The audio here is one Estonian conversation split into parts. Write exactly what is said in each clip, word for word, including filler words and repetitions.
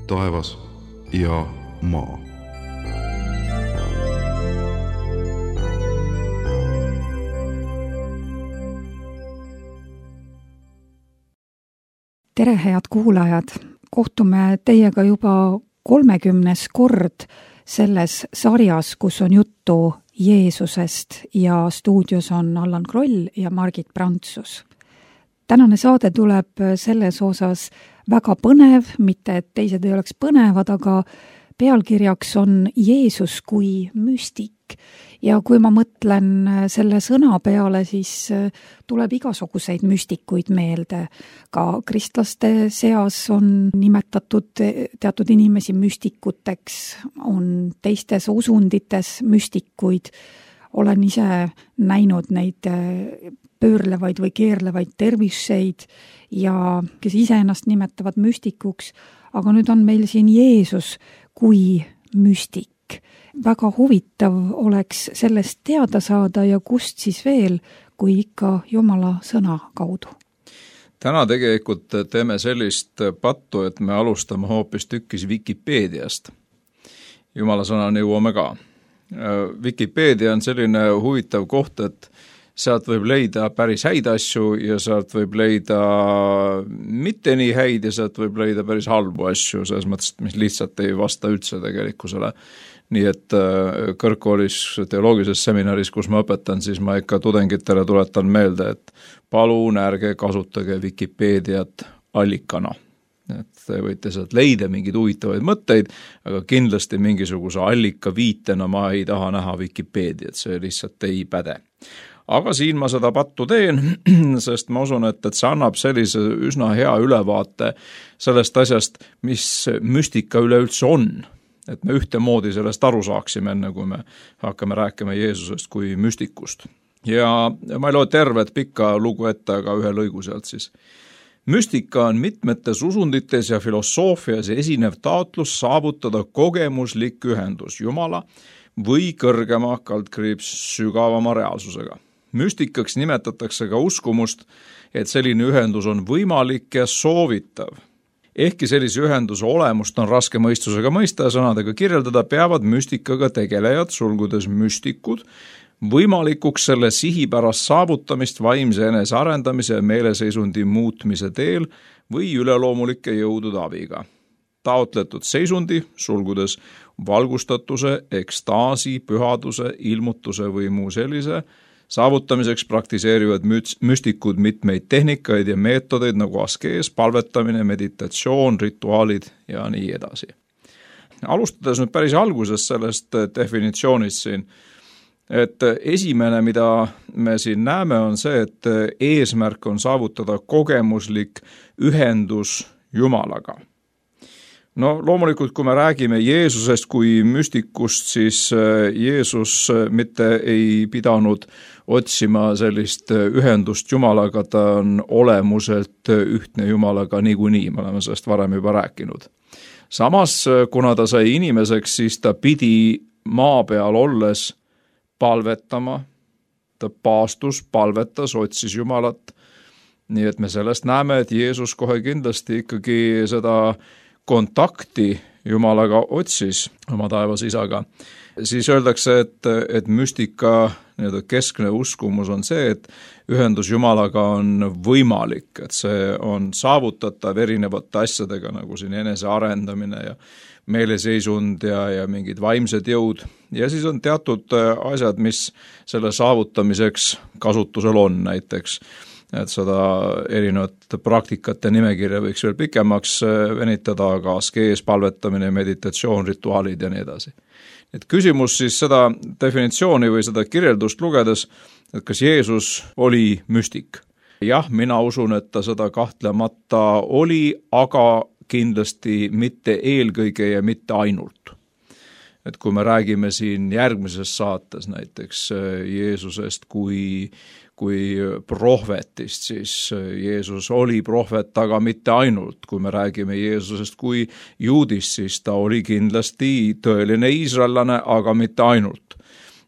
taevas ja maa. Tere, head kuulajad! Kohtume teiega juba kolmekümnes kord selles sarjas, kus on juttu Jeesusest ja stuudios on Allan Kroll ja Margit Prantsus. Tänane saade tuleb selles osas väga põnev, mitte et teised ei oleks põnevad, aga pealkirjaks on Jeesus kui müstik. Ja kui ma mõtlen selle sõna peale, siis tuleb igasuguseid müstikuid meelde. Ka kristlaste seas on nimetatud teatud inimesi müstikuteks, on teistes usundites müstikuid. Olen ise näinud neid pöörlevaid või keerlevaid terviseid ja kes ise ennast nimetavad müstikuks, aga nüüd on meil siin Jeesus kui müstik. Väga huvitav oleks sellest teada saada ja kust siis veel, kui ikka Jumala sõna kaudu. Täna tegelikult teeme sellist pattu, et me alustame hoopis tükkis Wikipeediast. Jumala sõnani jõuame ka. Wikipeedia on selline huvitav koht, et sealt võib leida päris häid asju ja sealt võib leida mitte nii häid ja sealt võib leida päris halbu asju, selles mõttes, mis lihtsalt ei vasta üldse tegelikkusele. Nii et kõrgkoolis teoloogilises seminaris, kus ma õpetan, siis ma ikka tudengitele tuletan meelde, et palun ärge kasutage Wikipeediat allikana. Et te võite sealt leida mingeid huvitavaid mõtteid, aga kindlasti mingisuguse allika viitena ma ei taha näha Wikipeediat, see lihtsalt ei päde. Aga siin ma seda pattu teen, sest ma usun, et, et see annab sellise üsna hea ülevaate sellest asjast, mis müstika üleüldse on. Et me ühtemoodi sellest aru saaksime, enne kui me hakkame rääkima Jeesusest kui müstikust. Ja ma ei loe tervet pikka lugu ette, aga ühe lõigu sealt siis. Müstika on mitmetes usundites ja filosoofias esinev taotlus saavutada kogemuslik ühendus Jumala või kõrgema kaldkriips sügavama reaalsusega. Müstikaks nimetatakse ka uskumust, et selline ühendus on võimalik ja soovitav. Ehkki sellise ühenduse olemust on raske mõistusega mõista ja sõnadega kirjeldada, peavad müstikaga tegelejad, sulgudes müstikud, võimalikuks selle sihipärast saavutamist vaimse enese arendamise ja meeleseisundi muutmise teel või üleloomulike jõudude abiga. Taotletud seisundi, sulgudes valgustatuse, ekstaasi, pühaduse, ilmutuse või muu sellise, saavutamiseks praktiseerivad müstikud mitmeid tehnikaid ja meetodeid nagu askees, palvetamine, meditatsioon, rituaalid ja nii edasi. Alustades nüüd päris alguses sellest definitsioonist siin, et esimene, mida me siin näeme, on see, et eesmärk on saavutada kogemuslik ühendus Jumalaga. No loomulikult, kui me räägime Jeesusest kui müstikust, siis Jeesus mitte ei pidanud otsima sellist ühendust Jumalaga, ta on olemuselt ühtne Jumalaga niikuinii, me oleme sellest varem juba rääkinud. Samas, kuna ta sai inimeseks, siis ta pidi maa peal olles palvetama, ta paastus, palvetas, otsis Jumalat, nii et me sellest näeme, et Jeesus kohe kindlasti ikkagi seda kontakti Jumalaga otsis oma taevas isaga, siis öeldakse, et, et müstika keskne uskumus on see, et ühendus Jumalaga on võimalik, et see on saavutatav erinevate asjadega, nagu siin enese arendamine ja meeleseisund ja, ja mingid vaimsed jõud. Ja siis on teatud asjad, mis selle saavutamiseks kasutusel on, näiteks et seda erinevat praktikate nimekirja võiks veel pikemaks venitada, aga askees, palvetamine, meditatsioon, rituaalid ja nii edasi. Et küsimus siis seda definitsiooni või seda kirjeldust lugedes, et kas Jeesus oli müstik? Jah, mina usun, et ta seda kahtlemata oli, aga kindlasti mitte eelkõige ja mitte ainult. Et kui me räägime siin järgmises saates näiteks Jeesusest kui kui prohvetist, siis Jeesus oli prohvet, aga mitte ainult. Kui me räägime Jeesusest kui juudist, siis ta oli kindlasti tõeline iisraellane, aga mitte ainult.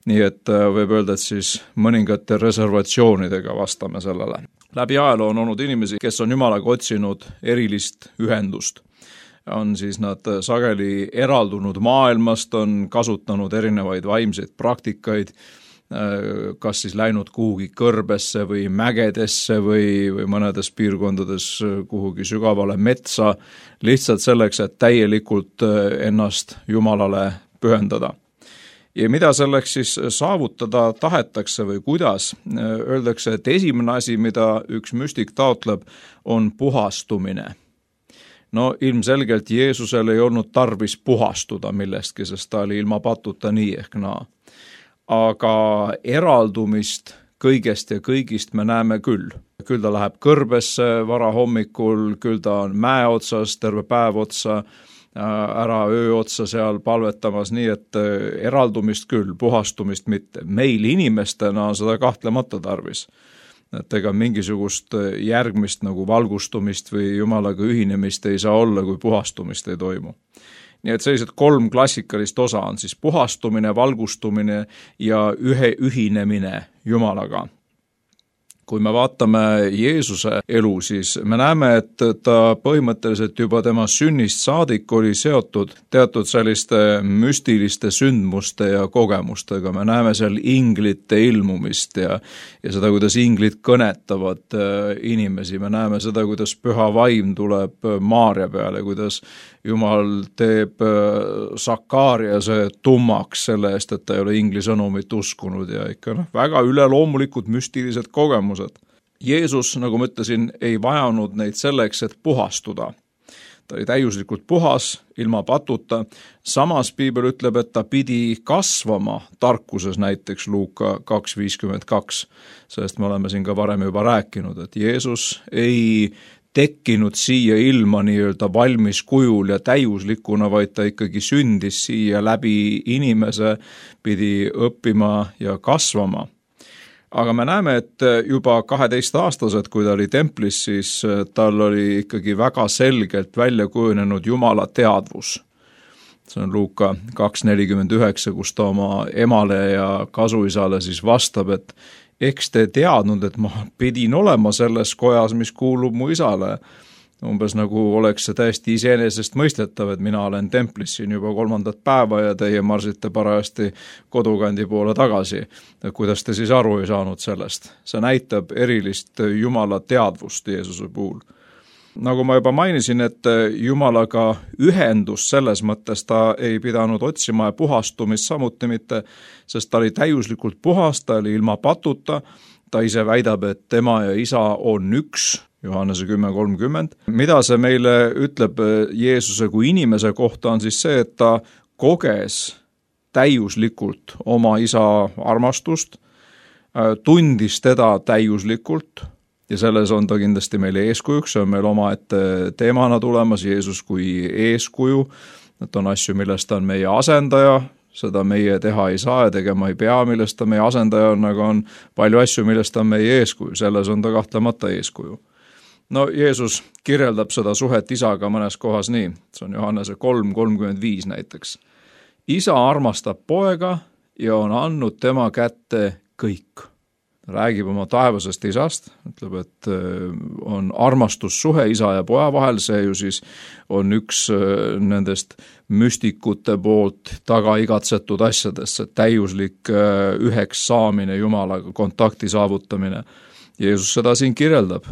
Nii et võib öelda, et siis mõningate reservatsioonidega vastame sellele. Läbi ajaloo on olnud inimesi, kes on Jumalaga otsinud erilist ühendust. on siis nad sageli eraldunud maailmast, on kasutanud erinevaid vaimseid praktikaid, kas siis läinud kuhugi kõrbesse või mägedesse või, või mõnedes piirkondades kuhugi sügavale metsa, lihtsalt selleks, et täielikult ennast Jumalale pühendada. Ja mida selleks siis saavutada tahetakse või kuidas? Öeldakse, et esimene asi, mida üks müstik taotleb, on puhastumine. No ilmselgelt Jeesusel ei olnud tarvis puhastuda millestki, sest ta oli ilma patuta nii ehk naa. Aga eraldumist kõigest ja kõigist me näeme küll. Küll ta läheb kõrbesse vara hommikul, küll ta on mäe otsas, terve päev otsa, ära öö otsa seal palvetamas, nii et eraldumist küll, puhastumist mitte. Meil inimestena on seda kahtlemata tarvis. Et ega mingisugust järgmist nagu valgustumist või Jumalaga ühinemist ei saa olla, kui puhastumist ei toimu. Nii et sellised kolm klassikalist osa on siis puhastumine, valgustumine ja ühe ühinemine Jumalaga. Kui me vaatame Jeesuse elu, siis me näeme, et ta põhimõtteliselt juba tema sünnist saadik oli seotud teatud selliste müstiliste sündmuste ja kogemustega. Me näeme seal inglite ilmumist ja, ja seda, kuidas inglid kõnetavad inimesi. Me näeme seda, kuidas püha vaim tuleb Maarja peale, kuidas Jumal teeb Sakariase tummaks selle eest, et ta ei ole ingli sõnumit uskunud ja ikka noh, väga üleloomulikud müstilised kogemused. Jeesus, nagu ma ütlesin, ei vajanud neid selleks, et puhastuda. Ta oli täiuslikult puhas, ilma patuta. Samas Piibel ütleb, et ta pidi kasvama tarkuses, näiteks Luuka kaks viiskümmend kaks. Sellest me oleme siin ka varem juba rääkinud, et Jeesus ei tekkinud siia ilma nii-öelda valmis kujul ja täiuslikuna, vaid ta ikkagi sündis siia läbi inimese, pidi õppima ja kasvama. Aga me näeme, et juba kaheteistaastased, kui ta oli templis, siis tal oli ikkagi väga selgelt välja kujunenud Jumala teadvus. See on Luuka kaks nelikümmend üheksa, kus ta oma emale ja kasuisale siis vastab, et eks te teadnud, et ma pidin olema selles kojas, mis kuulub mu isale. Umbes nagu oleks see täiesti iseenesest mõistetav, et mina olen templis siin juba kolmandat päeva ja teie marsite parajasti kodukandi poole tagasi. Kuidas te siis aru ei saanud sellest? See näitab erilist Jumala teadvust Jeesuse puhul. Nagu ma juba mainisin, et Jumalaga ühendus selles mõttes ta ei pidanud otsima ja puhastumist samuti mitte, sest ta oli täiuslikult puhas, ta oli ilma patuta, ta ise väidab, et tema ja isa on üks, Johannese kümme kolmkümmend. Mida see meile ütleb Jeesuse kui inimese kohta on siis see, et ta koges täiuslikult oma isa armastust, tundis teda täiuslikult, ja selles on ta kindlasti meile eeskujuks, see on meil omaette teemana tulemas, Jeesus kui eeskuju, et on asju, millest ta on meie asendaja, seda meie teha ei saa ja tegema ei pea, millest ta meie asendaja on, aga on palju asju, millest ta on meie eeskuju, selles on ta kahtlemata eeskuju. No Jeesus kirjeldab seda suhet isaga mõnes kohas nii, see on Johannese kolm kolmkümmend viis näiteks. Isa armastab poega ja on andnud tema kätte kõik. Räägib oma taevasest isast, ütleb, et on armastussuhe isa ja poja vahel, see ju siis on üks nendest müstikute poolt taga igatsetud asjadest, see täiuslik üheks saamine Jumalaga, kontakti saavutamine. Jeesus seda siin kirjeldab.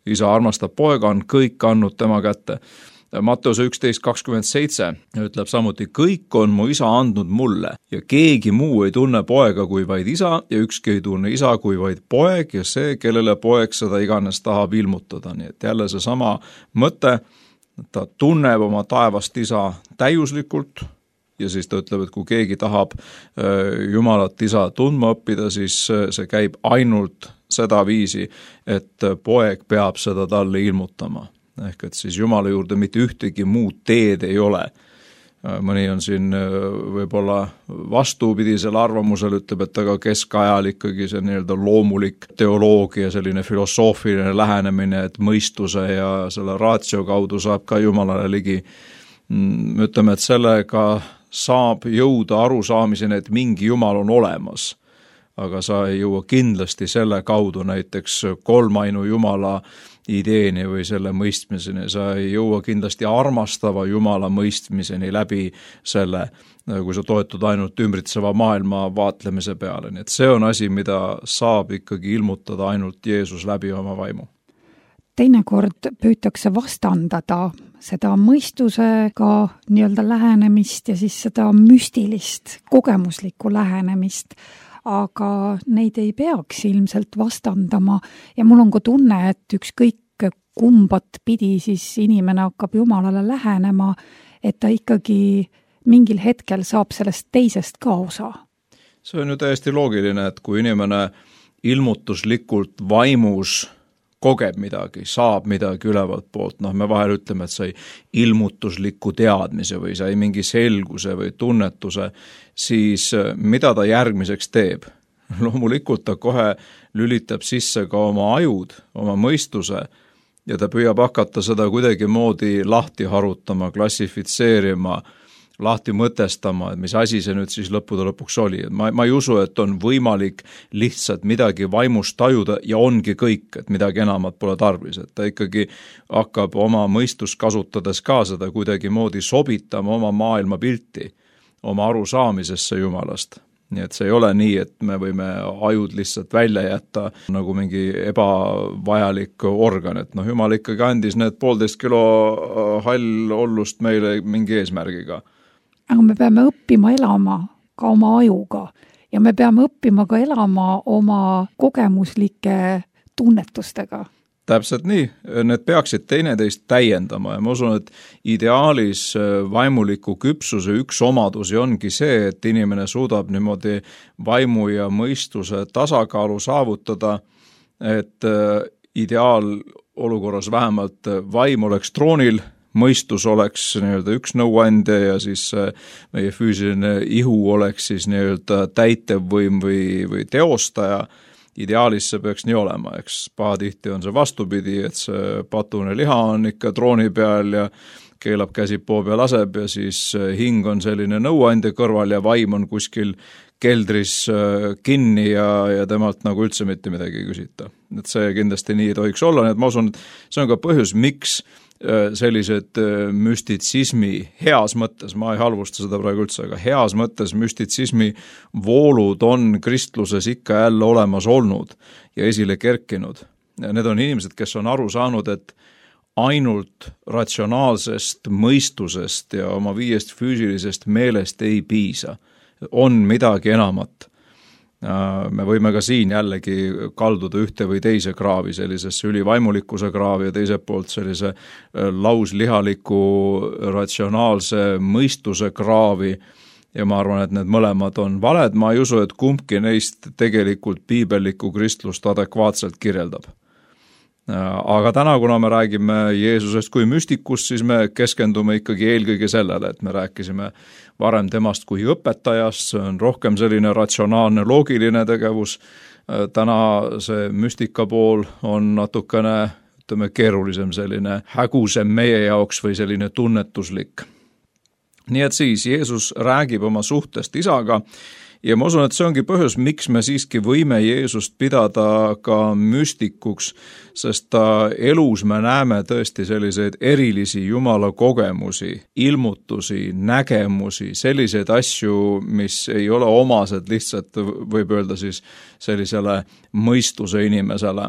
Isa armastab poega, on kõik andnud tema kätte. Matteuse üksteist kakskümmend seitse ütleb samuti, kõik on mu isa andnud mulle ja keegi muu ei tunne poega kui vaid isa ja ükski ei tunne isa kui vaid poeg ja see, kellele poeg seda iganes tahab ilmutada. Nii et jälle see sama mõte, ta tunneb oma taevast isa täiuslikult ja siis ta ütleb, et kui keegi tahab Jumalat isa tundma õppida, siis see käib ainult seda viisi, et poeg peab seda talle ilmutama. Ehk et siis Jumala juurde mitte ühtegi muud teed ei ole. Mõni on siin võib-olla vastupidisel arvamusel, ütleb, et aga keskajal ikkagi see nii-öelda loomulik teoloogia, selline filosoofiline lähenemine, et mõistuse ja selle ratio kaudu saab ka Jumalale ligi. Ütleme, et sellega saab jõuda arusaamiseni, et mingi Jumal on olemas. aga sa ei jõua kindlasti selle kaudu näiteks kolmainu Jumala ideeni või selle mõistmiseni, sa ei jõua kindlasti armastava Jumala mõistmiseni läbi selle, kui sa toetud ainult ümbritseva maailma vaatlemise peale. Nii et see on asi, mida saab ikkagi ilmutada ainult Jeesus läbi oma vaimu. Teinekord püütakse vastandada seda mõistusega nii-öelda lähenemist ja siis seda müstilist, kogemuslikku lähenemist, aga neid ei peaks ilmselt vastandama ja mul on ka tunne, et ükskõik kumbat pidi siis inimene hakkab Jumalale lähenema, et ta ikkagi mingil hetkel saab sellest teisest ka osa. See on ju täiesti loogiline, et kui inimene ilmutuslikult vaimus kogeb midagi, saab midagi ülevalt poolt, noh me vahel ütleme, et sai ilmutusliku teadmise või sai mingi selguse või tunnetuse, siis mida ta järgmiseks teeb? Loomulikult ta kohe lülitab sisse ka oma ajud, oma mõistuse ja ta püüab hakata seda kuidagi moodi lahti harutama, klassifitseerima, lahti mõtestama, et mis asi see nüüd siis lõppude lõpuks oli. Ma, ma ei usu, et on võimalik lihtsalt midagi vaimust tajuda ja ongi kõik, et midagi enamat pole tarvis. Et ta ikkagi hakkab oma mõistust kasutades ka seda kuidagi moodi sobitama oma maailma pilti, oma arusaamisesse Jumalast. Nii et see ei ole nii, et me võime ajud lihtsalt välja jätta nagu mingi ebavajalik organ, et noh, Jumal ikkagi andis need poolteist kilo hall ollust meile mingi eesmärgiga. Aga me peame õppima elama ka oma ajuga ja me peame õppima ka elama oma kogemuslike tunnetustega. Täpselt nii, need peaksid teineteist täiendama ja ma usun, et ideaalis vaimuliku küpsuse üks omadusi ongi see, et inimene suudab niimoodi vaimu ja mõistuse tasakaalu saavutada, et ideaalolukorras vähemalt vaim oleks troonil, mõistus oleks nii-öelda üks nõuandja ja siis meie füüsiline ihu oleks siis nii-öelda täitevvõim või, või teostaja. Ideaalis see peaks nii olema, eks pahatihti on see vastupidi, et see patune liha on ikka trooni peal ja keelab käsipoo peal laseb ja siis hing on selline nõuandja kõrval ja vaim on kuskil keldris kinni ja, ja temalt nagu üldse mitte midagi ei küsita. Et see kindlasti nii ei tohiks olla, nii et ma usun, et see on ka põhjus, miks sellised müstitsismi heas mõttes, ma ei halvusta seda praegu üldse, aga heas mõttes müstitsismi voolud on kristluses ikka jälle olemas olnud ja esile kerkinud. Need on inimesed, kes on aru saanud, et ainult ratsionaalsest mõistusest ja oma viiest füüsilisest meelest ei piisa. On midagi enamat. Me võime ka siin jällegi kalduda ühte või teise kraavi, sellisesse ülivaimulikkuse kraavi ja teiselt poolt sellise lauslihaliku ratsionaalse mõistuse kraavi ja ma arvan, et need mõlemad on valed. Ma ei usu, et kumbki neist tegelikult piibellikku kristlust adekvaatselt kirjeldab. Aga täna, kuna me räägime Jeesusest kui müstikust, siis me keskendume ikkagi eelkõige sellele, et me rääkisime varem temast kui õpetajast, see on rohkem selline ratsionaalne, loogiline tegevus. Täna see müstika pool on natukene, ütleme, keerulisem, selline hägusem meie jaoks või selline tunnetuslik. Nii et siis Jeesus räägib oma suhtest isaga ja ma usun, et see ongi põhjus, miks me siiski võime Jeesust pidada ka müstikuks, sest ta elus me näeme tõesti selliseid erilisi Jumala kogemusi, ilmutusi, nägemusi, selliseid asju, mis ei ole omased lihtsalt, võib öelda siis sellisele mõistuse inimesele.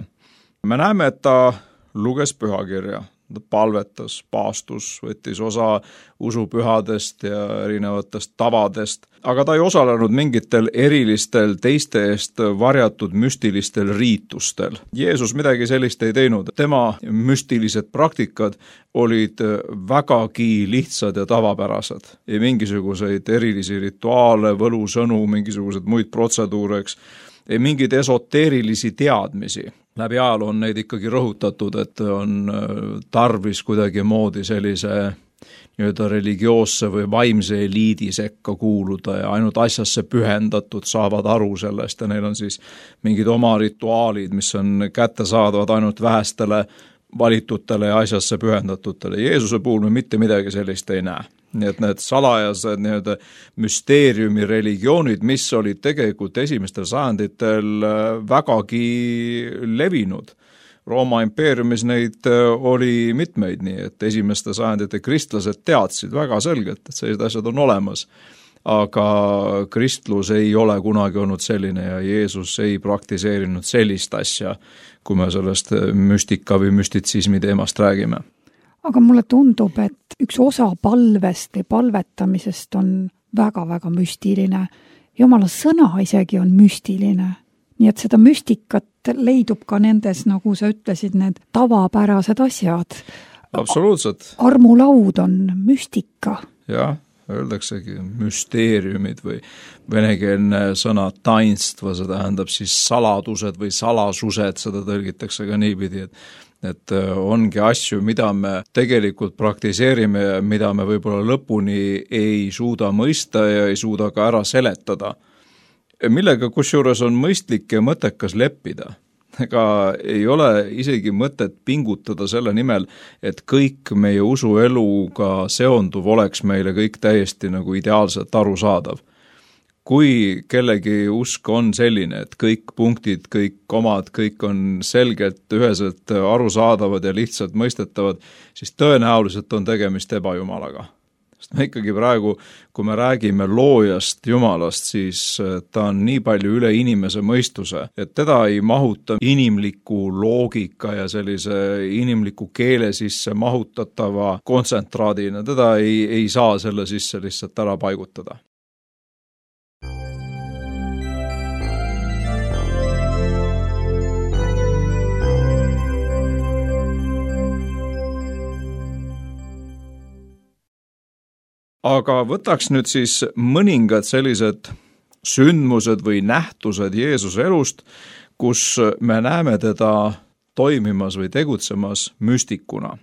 Me näeme, et ta luges pühakirja. Ta palvetas, paastus, võttis osa usupühadest ja erinevatest tavadest, aga ta ei osalenud mingitel erilistel teiste eest varjatud müstilistel riitustel. Jeesus midagi sellist ei teinud. Tema müstilised praktikad olid vägagi lihtsad ja tavapärased. Ei mingisuguseid erilisi rituaale, võlusõnu, mingisugused muid protseduureks, ei mingeid esoteerilisi teadmisi. Läbi ajal on neid ikkagi rõhutatud, et on tarvis kuidagi moodi sellise nii-öelda religioosse või vaimse eliidi sekka kuuluda ja ainult asjasse pühendatud saavad aru sellest ja neil on siis mingid oma rituaalid, mis on kättesaadavad ainult vähestele valitutele ja asjasse pühendatutele. Jeesuse puhul me mitte midagi sellist ei näe. nii et need salajased nii-öelda müsteeriumi religioonid, mis olid tegelikult esimestel sajanditel vägagi levinud. Rooma impeeriumis neid oli mitmeid, nii et esimeste sajandite kristlased teadsid väga selgelt, et sellised asjad on olemas. Aga kristlus ei ole kunagi olnud selline ja Jeesus ei praktiseerinud sellist asja, kui me sellest müstika või müstitsismi teemast räägime. Aga mulle tundub, et üks osa palvest või palvetamisest on väga-väga müstiline. Jumala sõna isegi on müstiline. Nii et seda müstikat leidub ka nendes, nagu sa ütlesid, need tavapärased asjad. Absoluutselt. Armulaud on müstika. Jah, öeldaksegi müsteeriumid või venekeelne sõna tainstva, see tähendab siis saladused või salasused, seda tõlgitakse ka niipidi, et et ongi asju, mida me tegelikult praktiseerime ja mida me võib-olla lõpuni ei suuda mõista ja ei suuda ka ära seletada. Millega kusjuures on mõistlik ja mõttekas leppida. Ega ei ole isegi mõtet pingutada selle nimel, et kõik meie usueluga seonduv oleks meile kõik täiesti nagu ideaalselt arusaadav. Kui kellegi usk on selline, et kõik punktid, kõik komad, kõik on selgelt, üheselt arusaadavad ja lihtsalt mõistetavad, siis tõenäoliselt on tegemist ebajumalaga. Sest me ikkagi praegu, kui me räägime loojast Jumalast, siis ta on nii palju üle inimese mõistuse, et teda ei mahuta inimliku loogika ja sellise inimliku keele sisse mahutatava kontsentraadina. Teda ei, ei saa selle sisse lihtsalt ära paigutada. Aga võtaks nüüd siis mõningad sellised sündmused või nähtused Jeesuse elust, kus me näeme teda toimimas või tegutsemas müstikuna.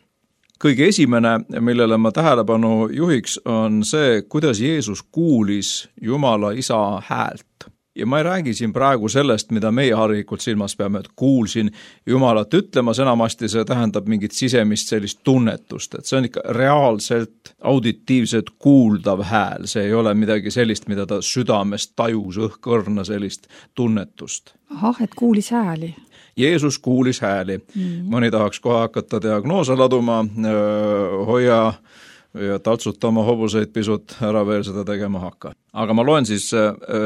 Kõige esimene, millele ma tähelepanu juhiks, on see, kuidas Jeesus kuulis Jumala Isa häält. Ja ma ei räägi siin praegu sellest, mida meie harilikult silmas peame, et kuulsin Jumalat ütlemas, enamasti see tähendab mingit sisemist sellist tunnetust, et see on ikka reaalselt auditiivselt kuuldav hääl, see ei ole midagi sellist, mida ta südamest tajus õhkõrna sellist tunnetust. Ahah, et kuulis hääli. Jeesus kuulis hääli. Mm. Mõni tahaks kohe hakata diagnoose laduma, hoia ja taltsuta oma hobuseid pisut, ära veel seda tegema hakka. Aga ma loen siis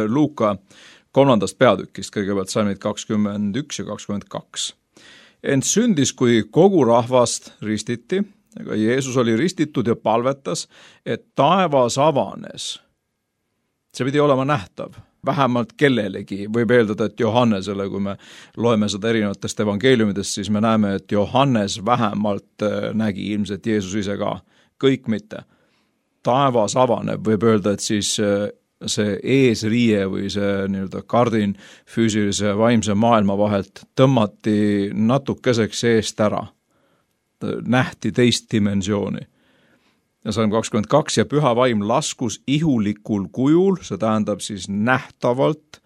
Luuka kolmandast peatükist, kõigepealt salmid kakskümmend üks ja kakskümmend kaks. Ent sündis, kui kogu rahvast ristiti, aga Jeesus oli ristitud ja palvetas, et taevas avanes. See pidi olema nähtav. Vähemalt kellelegi, võib eeldada, et Johannesele, kui me loeme seda erinevatest evangeeliumidest, siis me näeme, et Johannes vähemalt nägi ilmselt Jeesus ise ka. Kõik mitte. Taevas avaneb, võib öelda, et siis see eesriie või see nii-öelda kardin füüsilise ja vaimse maailma vahelt tõmmati natukeseks eest ära. Nähti teist dimensiooni. Ja salm kakskümmend kaks ja püha vaim laskus ihulikul kujul, see tähendab siis nähtavalt,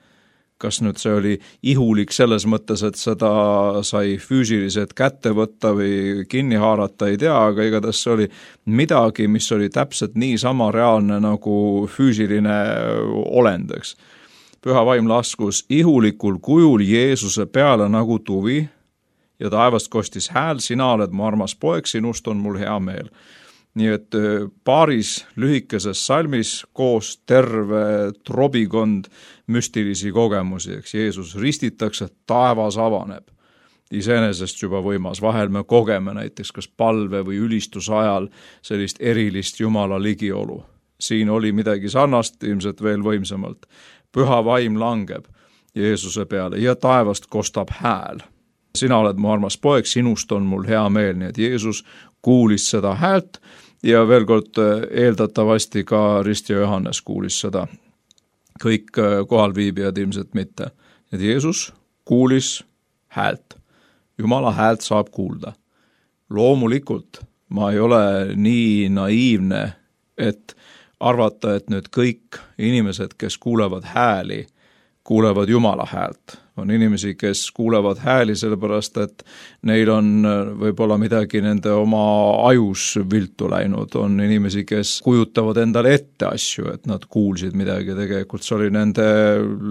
kas nüüd see oli ihulik selles mõttes, et seda sai füüsiliselt kätte võtta või kinni haarata, ei tea, aga igatahes see oli midagi, mis oli täpselt nii sama reaalne nagu füüsiline olendeks. Püha vaim laskus ihulikul kujul Jeesuse peale nagu tuvi ja taevast kostis hääl, sina oled mu armas poeg, sinust on mul hea meel. Nii et paaris lühikeses salmis koos terve trobikond müstilisi kogemusi, eks Jeesus ristitakse, taevas avaneb. Iseenesest juba võimas, vahel me kogeme näiteks kas palve või ülistuse ajal sellist erilist Jumala ligiolu. Siin oli midagi sarnast, ilmselt veel võimsamalt. Püha vaim langeb Jeesuse peale ja taevast kostab hääl. Sina oled mu armas poeg, sinust on mul hea meel, nii et Jeesus kuulis seda häält ja veel kord eeldatavasti ka Rist ja Johannes kuulis seda. Kõik kohalviibijad ilmselt mitte. Et Jeesus kuulis häält. Jumala häält saab kuulda. Loomulikult ma ei ole nii naiivne, et arvata, et nüüd kõik inimesed, kes kuulevad hääli, kuulevad Jumala häält. On inimesi, kes kuulevad hääli sellepärast, et neil on võib-olla midagi nende oma ajus viltu läinud. On inimesi, kes kujutavad endale ette asju, et nad kuulsid midagi. Tegelikult see oli nende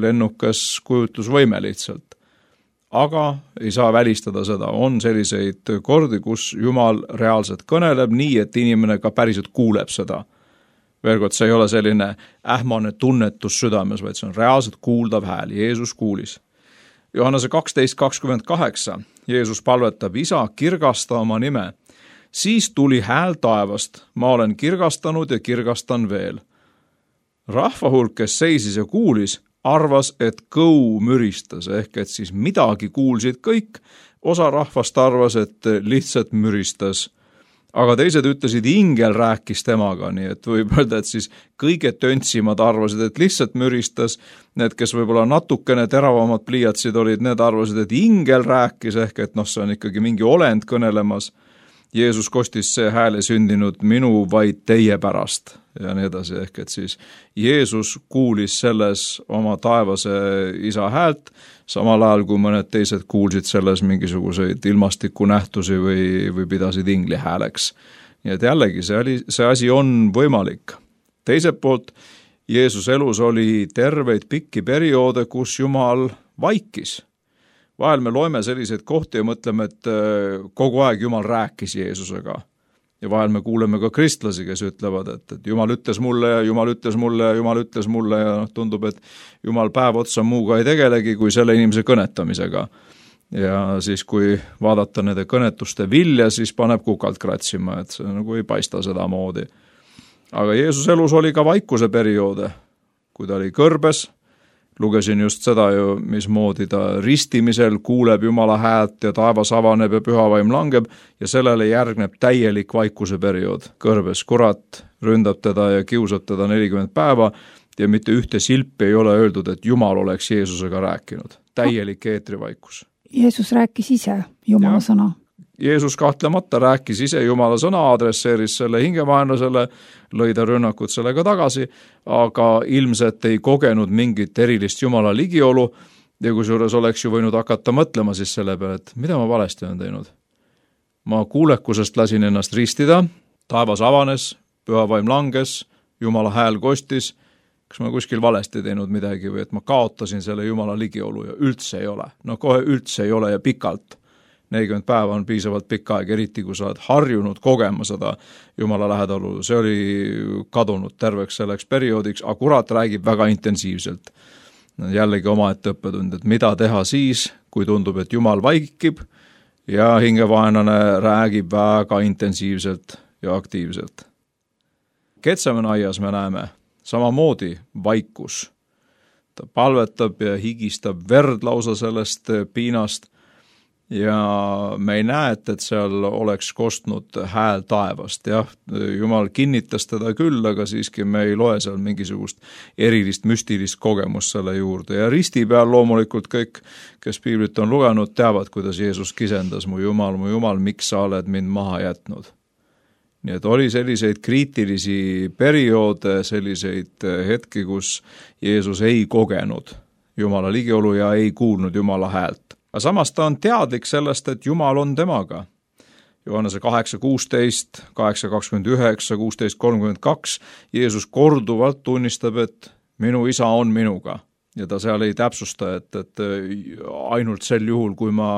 lennukas kujutlusvõime lihtsalt. Aga ei saa välistada seda. On selliseid kordi, kus Jumal reaalselt kõneleb nii, et inimene ka päriselt kuuleb seda. Veel kord, see ei ole selline ähmane tunnetus südames, vaid see on reaalselt kuuldav hääl. Jeesus kuulis. Johannese kaksteist kakskümmend kaheksa. Jeesus palvetab, isa, kirgasta oma nime. Siis tuli hääl taevast. Ma olen kirgastanud ja kirgastan veel. Rahva hulk, kes seisis ja kuulis, arvas, et kõu müristas, ehk et siis midagi kuulsid kõik. Osa rahvast arvas, et lihtsalt müristas. Aga teised ütlesid, ingel rääkis temaga, nii et võib öelda, et siis kõige töntsimad arvasid, et lihtsalt müristas. Need, kes võib-olla natukene teravamad pliiatsid olid, need arvasid, et ingel rääkis, ehk et noh, see on ikkagi mingi olend kõnelemas. Jeesus kostis see hääle sündinud minu vaid teie pärast ja nii edasi, ehk et siis Jeesus kuulis selles oma taevase isa häält, samal ajal kui mõned teised kuulsid selles mingisuguseid ilmastikunähtusi või, või pidasid ingli hääleks. Nii et jällegi see, oli, see asi on võimalik. Teiselt poolt Jeesus elus oli terveid pikki perioode, kus Jumal vaikis. Vahel me loeme selliseid kohti ja mõtleme, et kogu aeg Jumal rääkis Jeesusega. Ja vahel me kuuleme ka kristlasi, kes ütlevad, et, et Jumal ütles mulle ja Jumal ütles mulle ja Jumal ütles mulle ja tundub, et Jumal päev otsa muuga ei tegelegi kui selle inimese kõnetamisega. Ja siis, kui vaadata nende kõnetuste vilja, siis paneb kukalt kratsima, et see nagu ei paista seda moodi. Aga Jeesus elus oli ka vaikuse perioode, kui ta oli kõrbes. Lugesin just seda ju, mismoodi ta ristimisel kuuleb Jumala häält ja taevas avaneb ja pühavaim langeb ja sellele järgneb täielik vaikuse periood. Kõrbes kurat ründab teda ja kiusab teda nelikümmend päeva ja mitte ühte silpi ei ole öeldud, et Jumal oleks Jeesusega rääkinud. Täielik eetrivaikus. Jeesus rääkis ise Jumala ja. Sõna. Jeesus kahtlemata rääkis ise Jumala sõna, adresseeris selle hingevaenlasele, lõi ta rünnakud sellega tagasi, aga ilmselt ei kogenud mingit erilist Jumala ligiolu ja kusjuures oleks ju võinud hakata mõtlema siis selle peale, et mida ma valesti olen teinud. Ma kuulekusest lasin ennast ristida, taevas avanes, pühavaim langes, Jumala hääl kostis, kas ma kuskil valesti teinud midagi või et ma kaotasin selle Jumala ligiolu ja üldse ei ole. No kohe üldse ei ole ja pikalt. nelikümmend päeva on piisavalt pikk aeg, eriti kui sa oled harjunud kogema seda Jumala lähedalu. See oli kadunud terveks selleks perioodiks, aga kurat räägib väga intensiivselt. Jällegi omaette õppetund, et mida teha siis, kui tundub, et Jumal vaikib ja hingevaenlane räägib väga intensiivselt ja aktiivselt. Getsemane aias me näeme samamoodi vaikus. Ta palvetab ja higistab verd lausa sellest piinast. Ja me ei näe, et, et seal oleks kostnud hääl taevast. Jah, Jumal kinnitas teda küll, aga siiski me ei loe seal mingisugust erilist müstilist kogemust selle juurde. Ja risti peal loomulikult kõik, kes piiblit on lugenud, teavad, kuidas Jeesus kisendas, mu Jumal, mu Jumal, miks sa oled mind maha jätnud. Nii et oli selliseid kriitilisi perioode, selliseid hetki, kus Jeesus ei kogenud Jumala ligiolu ja ei kuulnud Jumala häält. Aga samas ta on teadlik sellest, et Jumal on temaga. Johannese kaheksa kuusteist, kaheksa kakskümmend üheksa, kuusteist kolmkümmend kaks Jeesus korduvalt tunnistab, et minu isa on minuga. Ja ta seal ei täpsusta, et, et ainult sel juhul, kui ma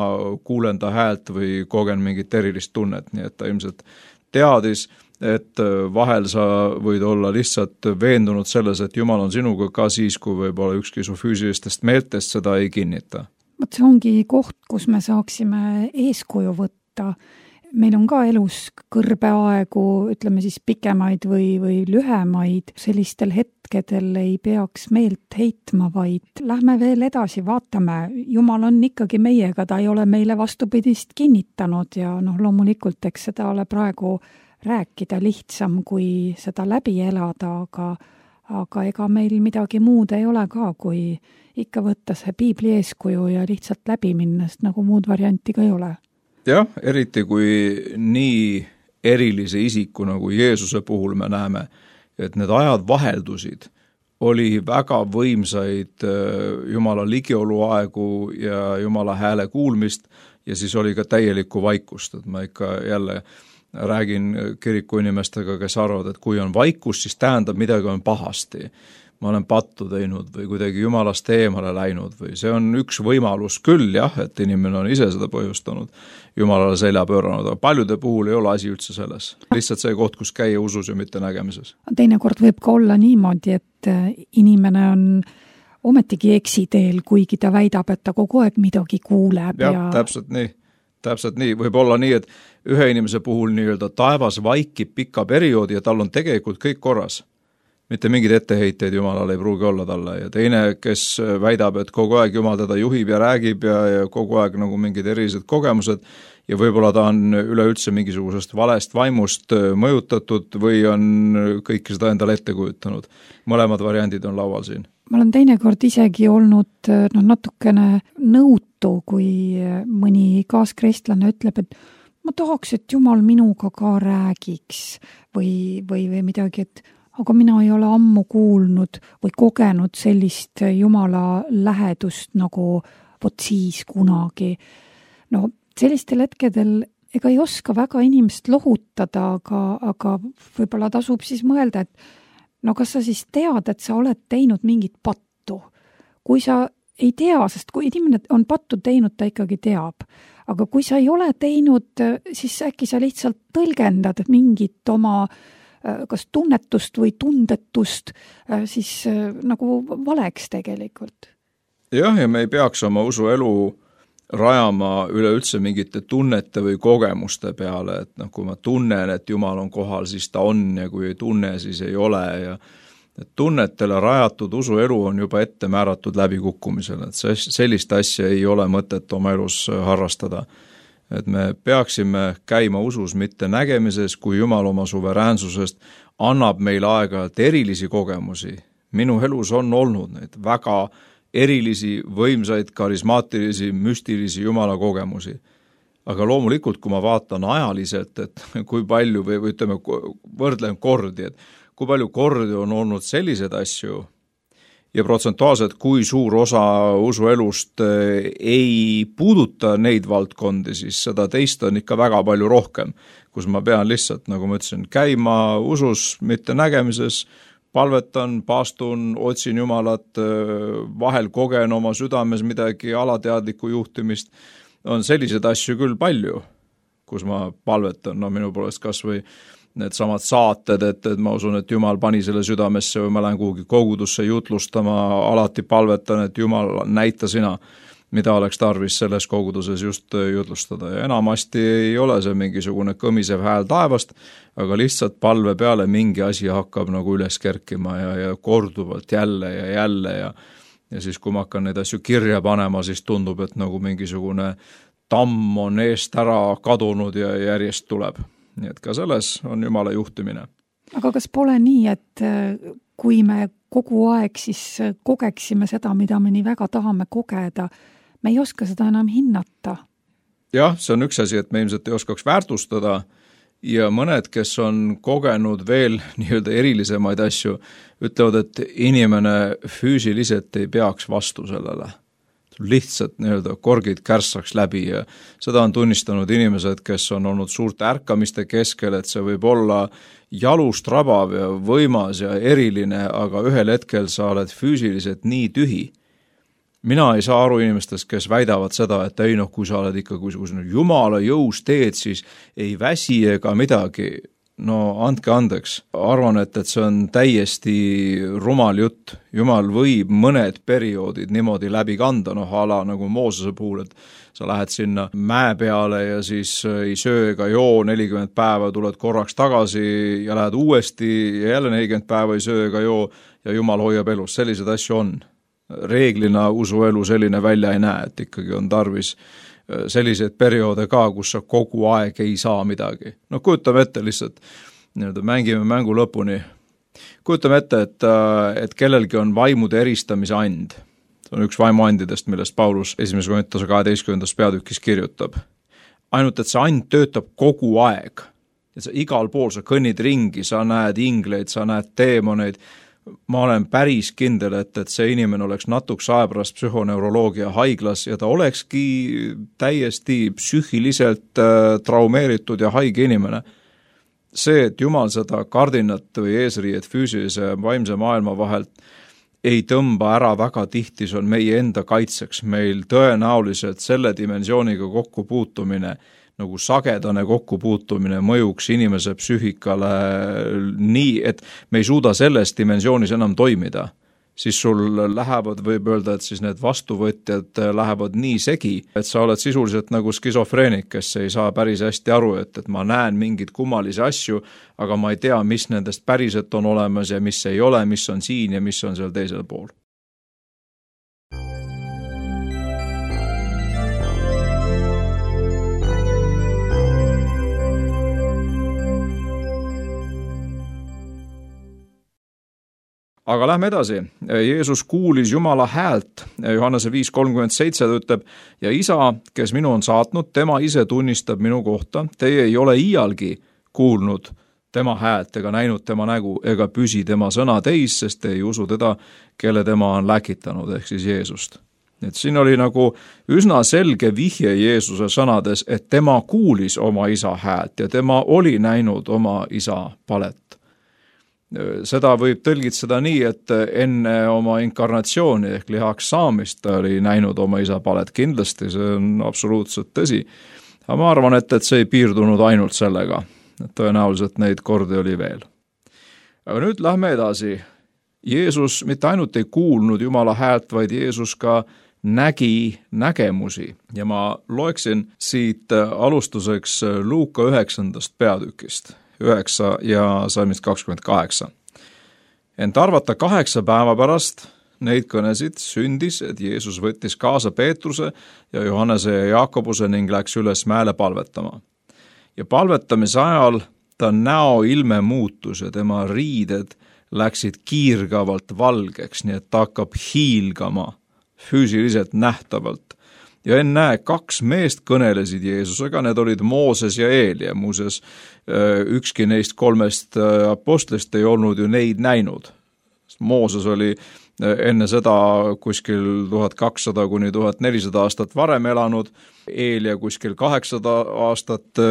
kuulen ta häält või kogen mingit erilist tunnet. Nii et ta ilmselt teadis, et vahel sa võid olla lihtsalt veendunud selles, et Jumal on sinuga ka siis, kui võib-olla ükski su füüsilistest meeltest seda ei kinnita. Vot see ongi koht, kus me saaksime eeskuju võtta. Meil on ka elus kõrbeaegu, ütleme siis pikemaid või, või lühemaid. Sellistel hetkedel ei peaks meelt heitma, vaid lähme veel edasi, vaatame. Jumal on ikkagi meiega, ta ei ole meile vastupidist kinnitanud ja noh, loomulikult, eks seda ole praegu rääkida lihtsam, kui seda läbi elada, aga, aga ega meil midagi muud ei ole ka, kui ikka võtta see piibli eeskuju ja lihtsalt läbi minna, sest nagu muud varianti ka ei ole. Jah, eriti kui nii erilise isiku nagu Jeesuse puhul me näeme, et need ajad vaheldusid, oli väga võimsaid Jumala ligioluaegu ja Jumala hääle kuulmist ja siis oli ka täielikku vaikust, et ma ikka jälle räägin kiriku inimestega, kes arvavad, et kui on vaikus, siis tähendab midagi on pahasti. Ma olen pattu teinud või kuidagi Jumalast eemale läinud või see on üks võimalus küll jah, et inimene on ise seda põhjustanud, Jumalale selja pööranud, aga paljude puhul ei ole asi üldse selles. Lihtsalt see koht, kus käia usus ja mitte nägemises. Teinekord võib ka olla niimoodi, et inimene on ometigi eksiteel, kuigi ta väidab, et ta kogu aeg midagi kuuleb. Ja, ja... täpselt nii. Täpselt nii. Võib olla nii, et ühe inimese puhul nii-öelda taevas vaikib pika perioodi ja tal on tegelikult kõik korras. Mitte mingid etteheiteid Jumalale ei pruugi olla talle ja teine, kes väidab, et kogu aeg Jumal teda juhib ja räägib ja, ja kogu aeg nagu mingid erilised kogemused ja võib-olla ta on üleüldse mingisugusest valest vaimust mõjutatud või on kõike seda endale ette kujutanud. Mõlemad variandid on laual siin. Ma olen teinekord isegi olnud no, natukene nõutu, kui mõni kaaskristlane ütleb, et ma tahaks, et Jumal minuga ka räägiks või, või, või midagi, et aga mina ei ole ammu kuulnud või kogenud sellist Jumala lähedust nagu vot siis kunagi. No sellistel hetkedel ega ei oska väga inimest lohutada, aga, aga võib-olla tasub siis mõelda, et no kas sa siis tead, et sa oled teinud mingit pattu? Kui sa ei tea, sest kui inimene on pattu teinud, ta ikkagi teab. Aga kui sa ei ole teinud, siis äkki sa lihtsalt tõlgendad mingit oma kas tunnetust või tundetust siis nagu valeks tegelikult. Jah, ja me ei peaks oma usuelu rajama üleüldse mingite tunnete või kogemuste peale, et noh, kui ma tunnen, et Jumal on kohal, siis ta on ja kui ei tunne, siis ei ole ja et tunnetele rajatud usuelu on juba ette määratud läbikukkumisele, et sellist asja ei ole mõtet oma elus harrastada. Et me peaksime käima usus mitte nägemises, kui Jumal oma suveräänsusest annab meil aeg-ajalt erilisi kogemusi. Minu elus on olnud neid väga erilisi, võimsaid, karismaatilisi, müstilisi Jumala kogemusi. Aga loomulikult, kui ma vaatan ajaliselt, et kui palju või, või ütleme, võrdlen kordi, et kui palju kordi on olnud sellised asju, ja protsentuaalselt, kui suur osa usuelust ei puuduta neid valdkondi, siis seda teist on ikka väga palju rohkem, kus ma pean lihtsalt, nagu ma ütlesin, käima usus, mitte nägemises, palvetan, paastun, otsin Jumalat, vahel kogen oma südames midagi alateadlikku juhtimist, on selliseid asju küll palju, kus ma palvetan, no minu poolest kas või need samad saated, et, et ma usun, et Jumal pani selle südamesse või ma lähen kuhugi kogudusse jutlustama, alati palvetan, et Jumal näita sina, mida oleks tarvis selles koguduses just jutlustada. Ja enamasti ei ole see mingisugune kõmisev hääl taevast, aga lihtsalt palve peale mingi asi hakkab nagu üles kerkima ja, ja korduvalt jälle ja jälle ja, ja siis kui ma hakkan neid asju kirja panema, siis tundub, et nagu mingisugune tamm on eest ära kadunud ja järjest tuleb. Nii et ka selles on Jumala juhtimine. Aga kas pole nii, et kui me kogu aeg siis kogeksime seda, mida me nii väga tahame kogeda, me ei oska seda enam hinnata? Jah, see on üks asi, et me ilmselt ei oskaks väärtustada ja mõned, kes on kogenud veel nii-öelda erilisemaid asju, ütlevad, et inimene füüsiliselt ei peaks vastu sellele. Lihtsalt nii-öelda korgid kärssaks läbi ja seda on tunnistanud inimesed, kes on olnud suurte ärkamiste keskel, et see võib olla jalust rabav ja võimas ja eriline, aga ühel hetkel sa oled füüsiliselt nii tühi. Mina ei saa aru inimestest, kes väidavad seda, et ei noh, kui sa oled ikka kui Jumala jõus teed, siis ei väsi ega midagi. No andke andeks, arvan, et, et see on täiesti rumal jutt. Jumal võib mõned perioodid niimoodi läbi kanda, noh ala nagu Moosese puhul, et sa lähed sinna mäe peale ja siis ei söö ega joo nelikümmend päeva, tuled korraks tagasi ja lähed uuesti ja jälle nelikümmend päeva ei söö ega joo ja Jumal hoiab elus, sellised asju on. Reeglina usuelu selline välja ei näe, et ikkagi on tarvis selliseid perioode ka, kus sa kogu aeg ei saa midagi. No kujutame ette lihtsalt, nii-öelda mängime mängu lõpuni. Kujutame ette, et, et kellelgi on vaimude eristamise and. See on üks vaimuandidest, millest Paulus esimese Korintuse kaheteistkümnendas peatükis kirjutab. Ainult, et see and töötab kogu aeg. Et sa igal pool sa kõnnid ringi, sa näed ingleid, sa näed teemoneid, ma olen päris kindel, et, et see inimene oleks natuks aja pärast psühhoneuroloogia haiglas ja ta olekski täiesti psüühiliselt äh, traumeeritud ja haige inimene. See, et Jumal seda kardinat või eesriiet füüsilise ja vaimse maailma vahelt ei tõmba ära väga tihti, see on meie enda kaitseks. Meil tõenäoliselt selle dimensiooniga kokkupuutumine, nagu sagedane kokkupuutumine mõjuks inimese psüühikale nii, et me ei suuda selles dimensioonis enam toimida. Siis sul lähevad, võib öelda, et siis need vastuvõtjad lähevad nii segi, et sa oled sisuliselt nagu skisofreenik, kes ei saa päris hästi aru, et, et ma näen mingeid kummalisi asju, aga ma ei tea, mis nendest päriselt on olemas ja mis ei ole, mis on siin ja mis on seal teisel pool. Aga lähme edasi. Jeesus kuulis Jumala häält, Johannese viis kolmkümmend seitse ütleb, ja isa, kes minu on saatnud, tema ise tunnistab minu kohta, teie ei ole iialgi kuulnud tema häält ega näinud tema nägu ega püsi tema sõna teis, sest te ei usu teda, kelle tema on läkitanud, ehk siis Jeesust. Et siin oli nagu üsna selge vihje Jeesuse sõnades, et tema kuulis oma isa häält ja tema oli näinud oma isa palet. Seda võib tõlgitseda nii, et enne oma inkarnatsiooni ehk lihaks saamist ta oli näinud oma isa palet. Kindlasti see on absoluutselt tõsi. Aga ma arvan, et, et see ei piirdunud ainult sellega. Tõenäoliselt neid kordi oli veel. Aga nüüd lähme edasi. Jeesus mitte ainult ei kuulnud Jumala häält, vaid Jeesus ka nägi nägemusi. Ja ma loeksin siit alustuseks Luuka üheksandast peatükist. üheksa ja salmist kakskümmend kaheksa. Ent arvata kaheksa päeva pärast neid kõnesid sündis, et Jeesus võttis kaasa Peetruse ja Johannese ja Jaakobuse ning läks üles mäele palvetama. Ja palvetamise ajal ta näo ilme muutus ja tema riided läksid kiirgavalt valgeks, nii et ta hakkab hiilgama füüsiliselt nähtavalt. Ja ennäe, kaks meest kõnelesid Jeesusega, need olid Mooses ja Eelia. Muuseas, ükski neist kolmest apostlist ei olnud ju neid näinud. Mooses oli enne seda kuskil tuhat kakssada kuni tuhat nelisada aastat varem elanud, Eelia kuskil kaheksasada aastat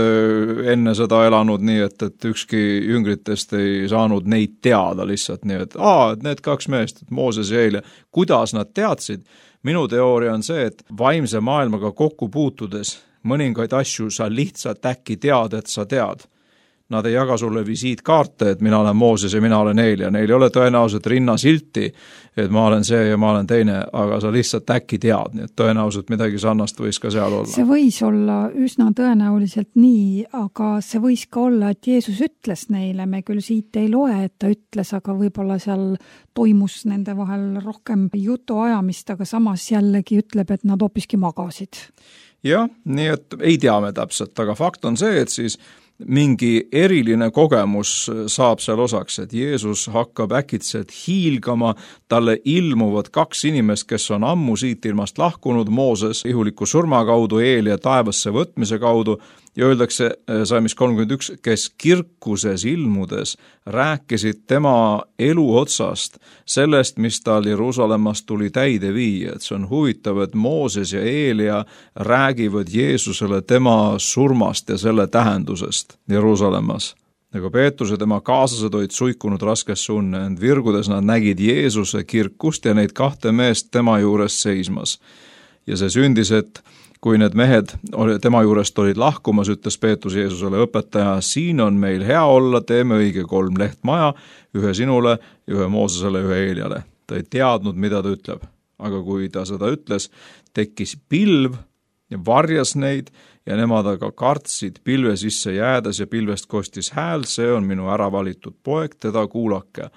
enne seda elanud, nii et, et ükski jüngritest ei saanud neid teada lihtsalt nii, et aa, need kaks meest, Mooses ja Eelia, kuidas nad teadsid? Minu teooria on see, et vaimse maailmaga kokku puutudes mõningaid asju sa lihtsalt äkki tead, et sa tead. Nad ei jaga sulle visiitkaarte, et mina olen Mooses ja mina olen Eelia. Neil ei ole tõenäoliselt rinnasilti, et ma olen see ja ma olen teine, aga sa lihtsalt äkki tead, nii et tõenäoliselt midagi sarnast võis ka seal olla. See võis olla üsna tõenäoliselt nii, aga see võis ka olla, et Jeesus ütles neile, me küll siit ei loe, et ta ütles, aga võib-olla seal toimus nende vahel rohkem jutu ajamist, aga samas jällegi ütleb, et nad hoopiski magasid. Jah, nii et ei tea me täpselt, aga fakt on see, et siis mingi eriline kogemus saab seal osaks, et Jeesus hakkab äkitselt hiilgama, talle ilmuvad kaks inimest, kes on ammu siit ilmast lahkunud, Mooses ihuliku surma kaudu, Eelia taevasse võtmise kaudu, ja öeldakse salmis kolmkümmend üks, kes kirkuses ilmudes rääkisid tema elu otsast, sellest, mis tal Jeruusalemmast tuli täide viia. Et see on huvitav, et Mooses ja Eelia räägivad Jeesusele tema surmast ja selle tähendusest Jeruusalemmas. Nagu Peetrus ja tema kaaslased olid suikunud raskesse unne, ent virgudes nad nägid Jeesuse kirkust ja neid kahte meest tema juures seismas. Ja see sündis, et kui need mehed tema juurest olid lahkumas, ütles Peetrus Jeesusele, õpetaja, siin on meil hea olla, teeme õige kolm lehtmaja, ühe sinule, ühe Moosesele, ühe Eeliale. Ta ei teadnud, mida ta ütleb, aga kui ta seda ütles, tekkis pilv ja varjas neid ja nemad aga kartsid pilve sisse jäädes ja pilvest kostis hääl, see on minu äravalitud poeg, teda kuulake.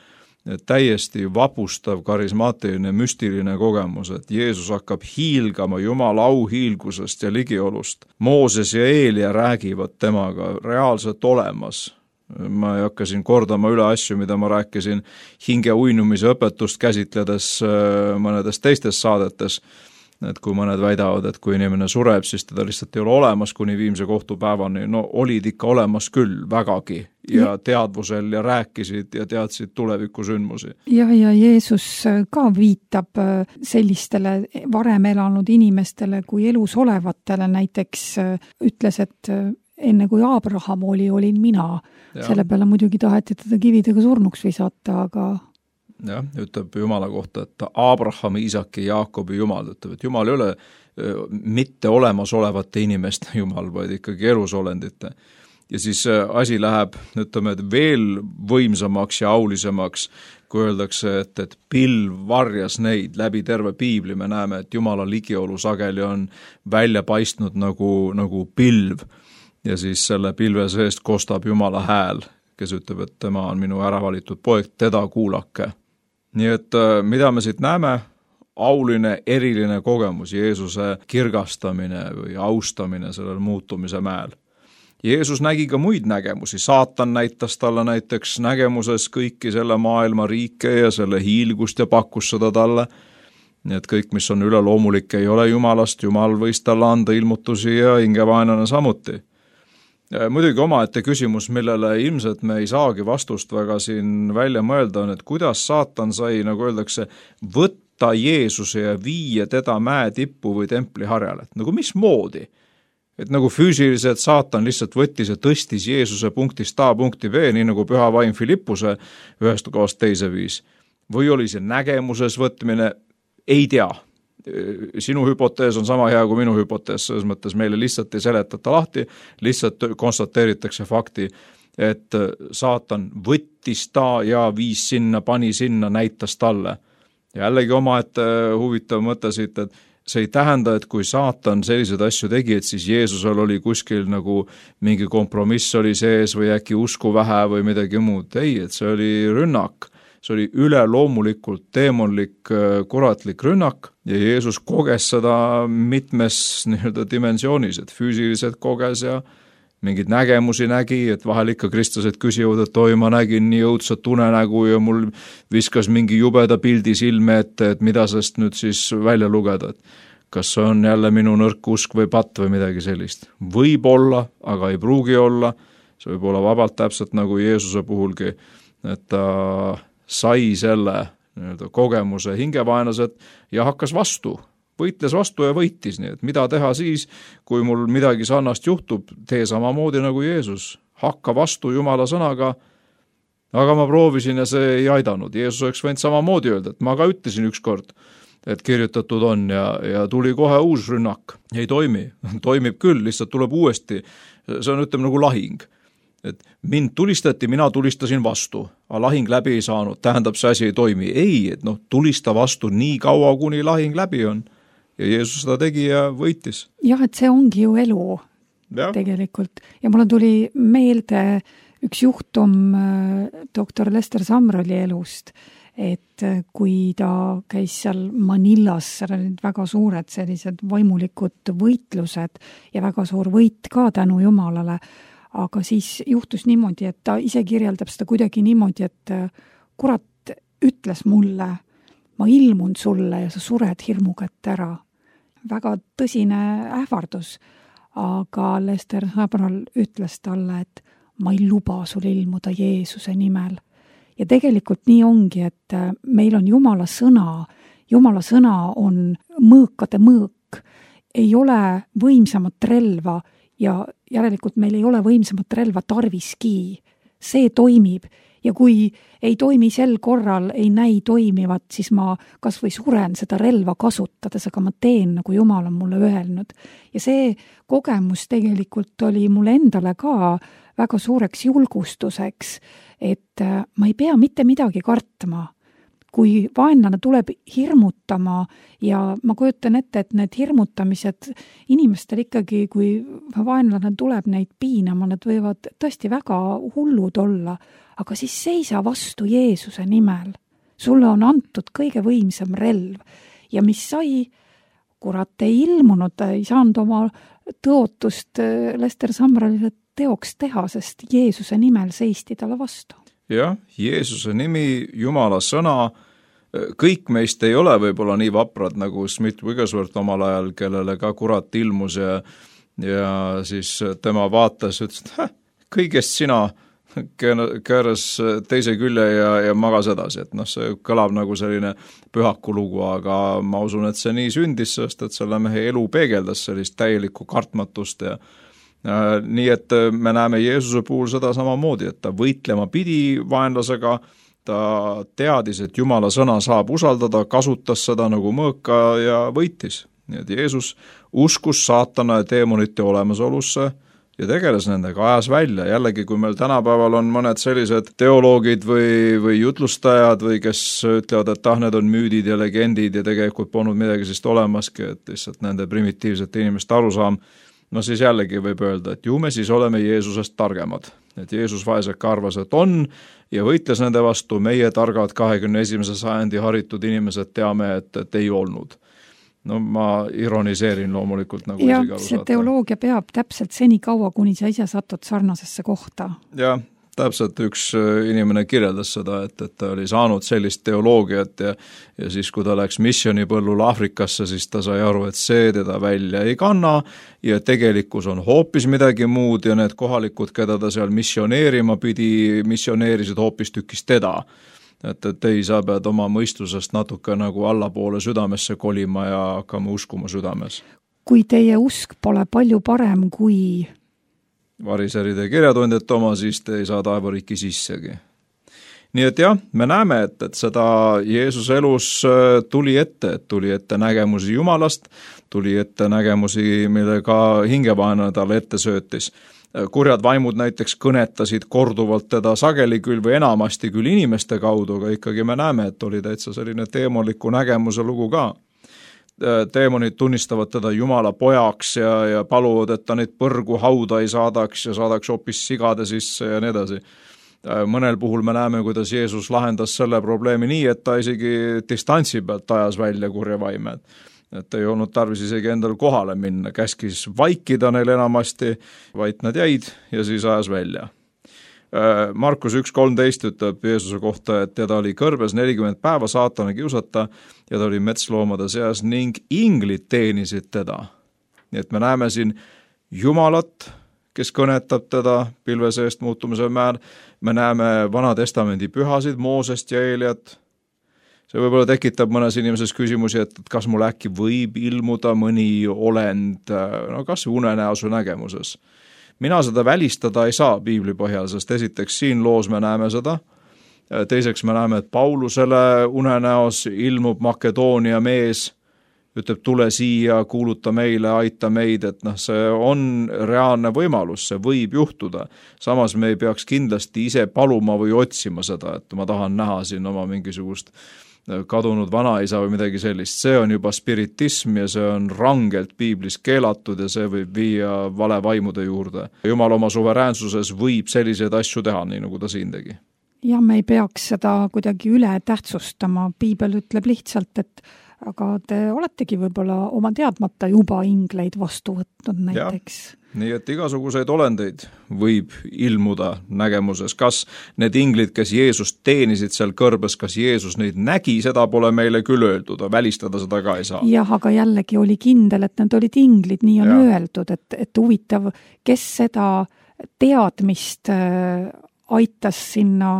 Täiesti vapustav, karismaatiline, müstiline kogemus, et Jeesus hakkab hiilgama Jumala auhiilgusest ja ligiolust. Mooses ja Eelia räägivad temaga reaalselt olemas. Ma ei hakka siin kordama üle asju, mida ma rääkisin hinge uinumise õpetust käsitledes mõnedes teistes saadetes. Et kui mõned väidavad, et kui inimene sureb, siis teda lihtsalt ei ole olemas kuni viimse kohtupäevani. No olid ikka olemas küll vägagi ja teadvusel ja rääkisid ja teadsid tulevikusündmusi. jah, ja Jeesus ka viitab sellistele varem elanud inimestele kui elus olevatele, näiteks ütles, et enne kui Abraham oli, olin mina. Ja. Selle peale muidugi taheti teda kividega surnuks visata, aga jah, ütleb Jumala kohta, et Abrahami, Iisaki, Jaakobi Jumal, ütleb, et Jumal ei ole mitte olemasolevate inimeste Jumal, vaid ikkagi elusolendite. Ja siis asi läheb, ütleme, et veel võimsamaks ja aulisemaks, kui öeldakse, et, et pilv varjas neid läbi terve piibli, me näeme, et Jumala ligiolu sageli on välja paistnud nagu, nagu pilv. Ja siis selle pilve seest kostab Jumala hääl, kes ütleb, et tema on minu äravalitud poeg, teda kuulake. Nii et mida me siit näeme? Auline, eriline kogemus, Jeesuse kirgastamine või austamine sellel muutumise mäel. Jeesus nägi ka muid nägemusi, saatan näitas talle näiteks nägemuses kõiki selle maailma riike ja selle hiilgust ja pakkus seda talle. Nii et kõik, mis on üleloomulik, ei ole Jumalast, Jumal võis talle anda ilmutusi ja hingevaenlane samuti. Muidugi omaette küsimus, millele ilmselt me ei saagi vastust väga siin välja mõelda, on, et kuidas saatan sai, nagu öeldakse, võtta Jeesuse ja viia teda mäe tippu või templi harjale. Nagu mis moodi? Et nagu füüsiliselt saatan lihtsalt võttis ja tõstis Jeesuse punktist A punkti B, nii nagu püha vaim Filippuse ühest kohast teise viis. Või oli see nägemuses võtmine? Ei tea. Sinu hüpotees on sama hea kui minu hüpotees, selles mõttes meile lihtsalt ei seletata lahti, lihtsalt konstateeritakse fakti, et saatan võttis ta ja viis sinna, pani sinna, näitas talle. Jällegi oma, et huvitav mõte siit, et see ei tähenda, et kui saatan selliseid asju tegi, et siis Jeesusel oli kuskil nagu mingi kompromiss oli sees või äkki usku vähe või midagi muud. Ei, et see oli rünnak. See oli üleloomulikult teemonlik kuratlik rünnak ja Jeesus koges seda mitmes nii-öelda dimensioonis, et füüsiliselt koges ja mingid nägemusi nägi, et vahel ikka kristlased küsivad, et oi, ma nägin nii õudset unenägu ja mul viskas mingi jubeda pildi silme ette, et mida sellest nüüd siis välja lugeda, et kas see on jälle minu nõrk usk või patt või midagi sellist. Võib olla, aga ei pruugi olla, see võib olla vabalt täpselt nagu Jeesuse puhulgi, et ta sai selle nii-öelda kogemuse hingevaenlased ja hakkas vastu, võitles vastu ja võitis, nii et mida teha siis, kui mul midagi sarnast juhtub, tee samamoodi nagu Jeesus, hakka vastu Jumala sõnaga, aga ma proovisin ja see ei aidanud. Jeesus oleks võinud samamoodi öelda, et ma ka ütlesin ükskord, et kirjutatud on ja, ja tuli kohe uus rünnak, ei toimi, toimib küll, lihtsalt tuleb uuesti, see on ütleme nagu lahing. Et mind tulistati, mina tulistasin vastu, aga lahing läbi ei saanud, tähendab see asi ei toimi. Ei, et noh, tulista vastu nii kaua, kuni lahing läbi on. Ja Jeesus seda tegi ja võitis. Jah, et see ongi ju elu ja. Tegelikult. Ja mulle tuli meelde üks juhtum doktor Lester Sumralli elust, et kui ta käis seal Manillas, seal olid väga suured sellised vaimulikud võitlused ja väga suur võit ka tänu Jumalale, aga siis juhtus niimoodi, et ta ise kirjeldab seda kuidagi niimoodi, et kurat ütles mulle, ma ilmun sulle ja sa sured hirmu kätte ära. Väga tõsine ähvardus, aga Lester Sabral ütles talle, et ma ei luba sul ilmuda Jeesuse nimel. Ja tegelikult nii ongi, et meil on Jumala sõna, Jumala sõna on mõõkade mõõk, ei ole võimsamat relva, ja järelikult meil ei ole võimsamat relva tarviski. See toimib ja kui ei toimi sel korral, ei näi toimivat, siis ma kas või suren seda relva kasutades, aga ma teen, nagu Jumal on mulle öelnud. Ja see kogemus tegelikult oli mulle endale ka väga suureks julgustuseks, et ma ei pea mitte midagi kartma. Kui vaenlane tuleb hirmutama ja ma kujutan ette, et need hirmutamised inimestel ikkagi, kui vaenlane tuleb neid piinama, need võivad tõesti väga hullud olla, aga siis seisa vastu Jeesuse nimel. Sulle on antud kõige võimsam relv ja mis sai, kurat ei ilmunud, ei saanud oma tõotust Lester Samralile teoks teha, sest Jeesuse nimel seisti talle vastu. Jah, Jeesuse nimi, Jumala sõna, kõik meist ei ole võib-olla nii vaprad nagu Smith Wigglesworth omal ajal, kellele ka kurat ilmus ja, ja siis tema vaatas, ütles, et häh, kõigest sina kääras teise külje ja, ja magas edasi, et noh, see kõlab nagu selline pühaku lugu, aga ma usun, et see nii sündis, sest et selle mehe elu peegeldas sellist täielikku kartmatust ja äh, nii, et me näeme Jeesuse puhul seda samamoodi, et ta võitlema pidi vaenlasega, ta teadis, et Jumala sõna saab usaldada, kasutas seda nagu mõõka ja võitis. Nii et Jeesus uskus saatana ja teemonite olemasolusse ja tegeles nendega, ajas välja. Jällegi, kui meil tänapäeval on mõned sellised teoloogid või, või jutlustajad või kes ütlevad, et ah, need on müüdid ja legendid ja tegelikult polnud midagi sest olemaski, et lihtsalt nende primitiivsete inimeste arusaam, no siis jällegi võib öelda, et ju me siis oleme Jeesusest targemad. Et Jeesus vaeseka arvas, et on ja võitles nende vastu, meie targad kahekümne esimese sajandi haritud inimesed teame, et, et ei olnud. No ma ironiseerin loomulikult nagu ja see teoloogia peab täpselt seni kaua, kuni sa ise satud sarnasesse kohta. Ja täpselt üks inimene kirjeldas seda, et, et ta oli saanud sellist teoloogiat ja, ja siis, kui ta läks missionipõllul Afrikasse, siis ta sai aru, et see teda välja ei kanna ja tegelikkus on hoopis midagi muud ja need kohalikud, keda ta seal missioneerima pidi, missioneerisid hoopis tükis teda. Et, et ei, sa pead oma mõistusest natuke nagu allapoole südamesse kolima ja hakkama uskuma südames. Kui teie usk pole palju parem kui variseride kirjatundjate oma, siis te ei saa taevariiki sissegi. Nii et jah, me näeme, et, et seda Jeesuse elus tuli ette, et tuli ette nägemusi Jumalast, tuli ette nägemusi, millega hingevaenlane talle ette söötis. Kurjad vaimud näiteks kõnetasid korduvalt teda sageli küll või enamasti küll inimeste kaudu, aga ikkagi me näeme, et oli täitsa selline teemoniku nägemuse lugu ka. Teemonid tunnistavad teda Jumala pojaks ja, ja paluvad, et ta neid põrgu hauda ei saadaks ja saadaks hoopis sigade sisse ja nii edasi. Mõnel puhul me näeme, kuidas Jeesus lahendas selle probleemi nii, et ta isegi distantsi pealt ajas välja kurja vaime. Et ei olnud tarvis isegi endal kohale minna, käskis vaikida neil enamasti, vaid nad jäid ja siis ajas välja. Markus üks kolmteist ütleb Jeesuse kohta, et teda oli kõrbes nelikümmend päeva saatana kiusata ja ta oli metsloomade seas ning inglid teenisid teda. Nii et me näeme siin Jumalat, kes kõnetab teda pilve seest muutumise määr. Me näeme Vana Testamendi pühasid, Moosest ja Eeliat. See võib-olla tekitab mõnes inimeses küsimusi, et kas mul äkki võib ilmuda mõni olend, no kas unenäosu nägemuses. Mina seda välistada ei saa piibli põhjal, sest esiteks siin loos me näeme seda, teiseks me näeme, et Paulusele unenäos ilmub Makedoonia mees, ütleb tule siia, kuuluta meile, aita meid, et noh, see on reaalne võimalus, see võib juhtuda. Samas me ei peaks kindlasti ise paluma või otsima seda, et ma tahan näha siin oma mingisugust kadunud vanaisa või midagi sellist. See on juba spiritism ja see on rangelt piiblis keelatud ja see võib viia vale vaimude juurde. Jumal oma suveräänsuses võib selliseid asju teha, nii nagu ta siin tegi. Ja me ei peaks seda kuidagi üle tähtsustama. Piibel ütleb lihtsalt, et aga te oletegi võib-olla oma teadmata juba ingleid vastu võtnud näiteks. Ja. Nii et igasuguseid olendeid võib ilmuda nägemuses. Kas need inglid, kes Jeesust teenisid seal kõrbes, kas Jeesus neid nägi, seda pole meile küll öeldud, välistada seda ka ei saa. Jah, aga jällegi oli kindel, et need olid inglid, nii on ja. Öeldud, et, et huvitav, kes seda teadmist äh, aitas sinna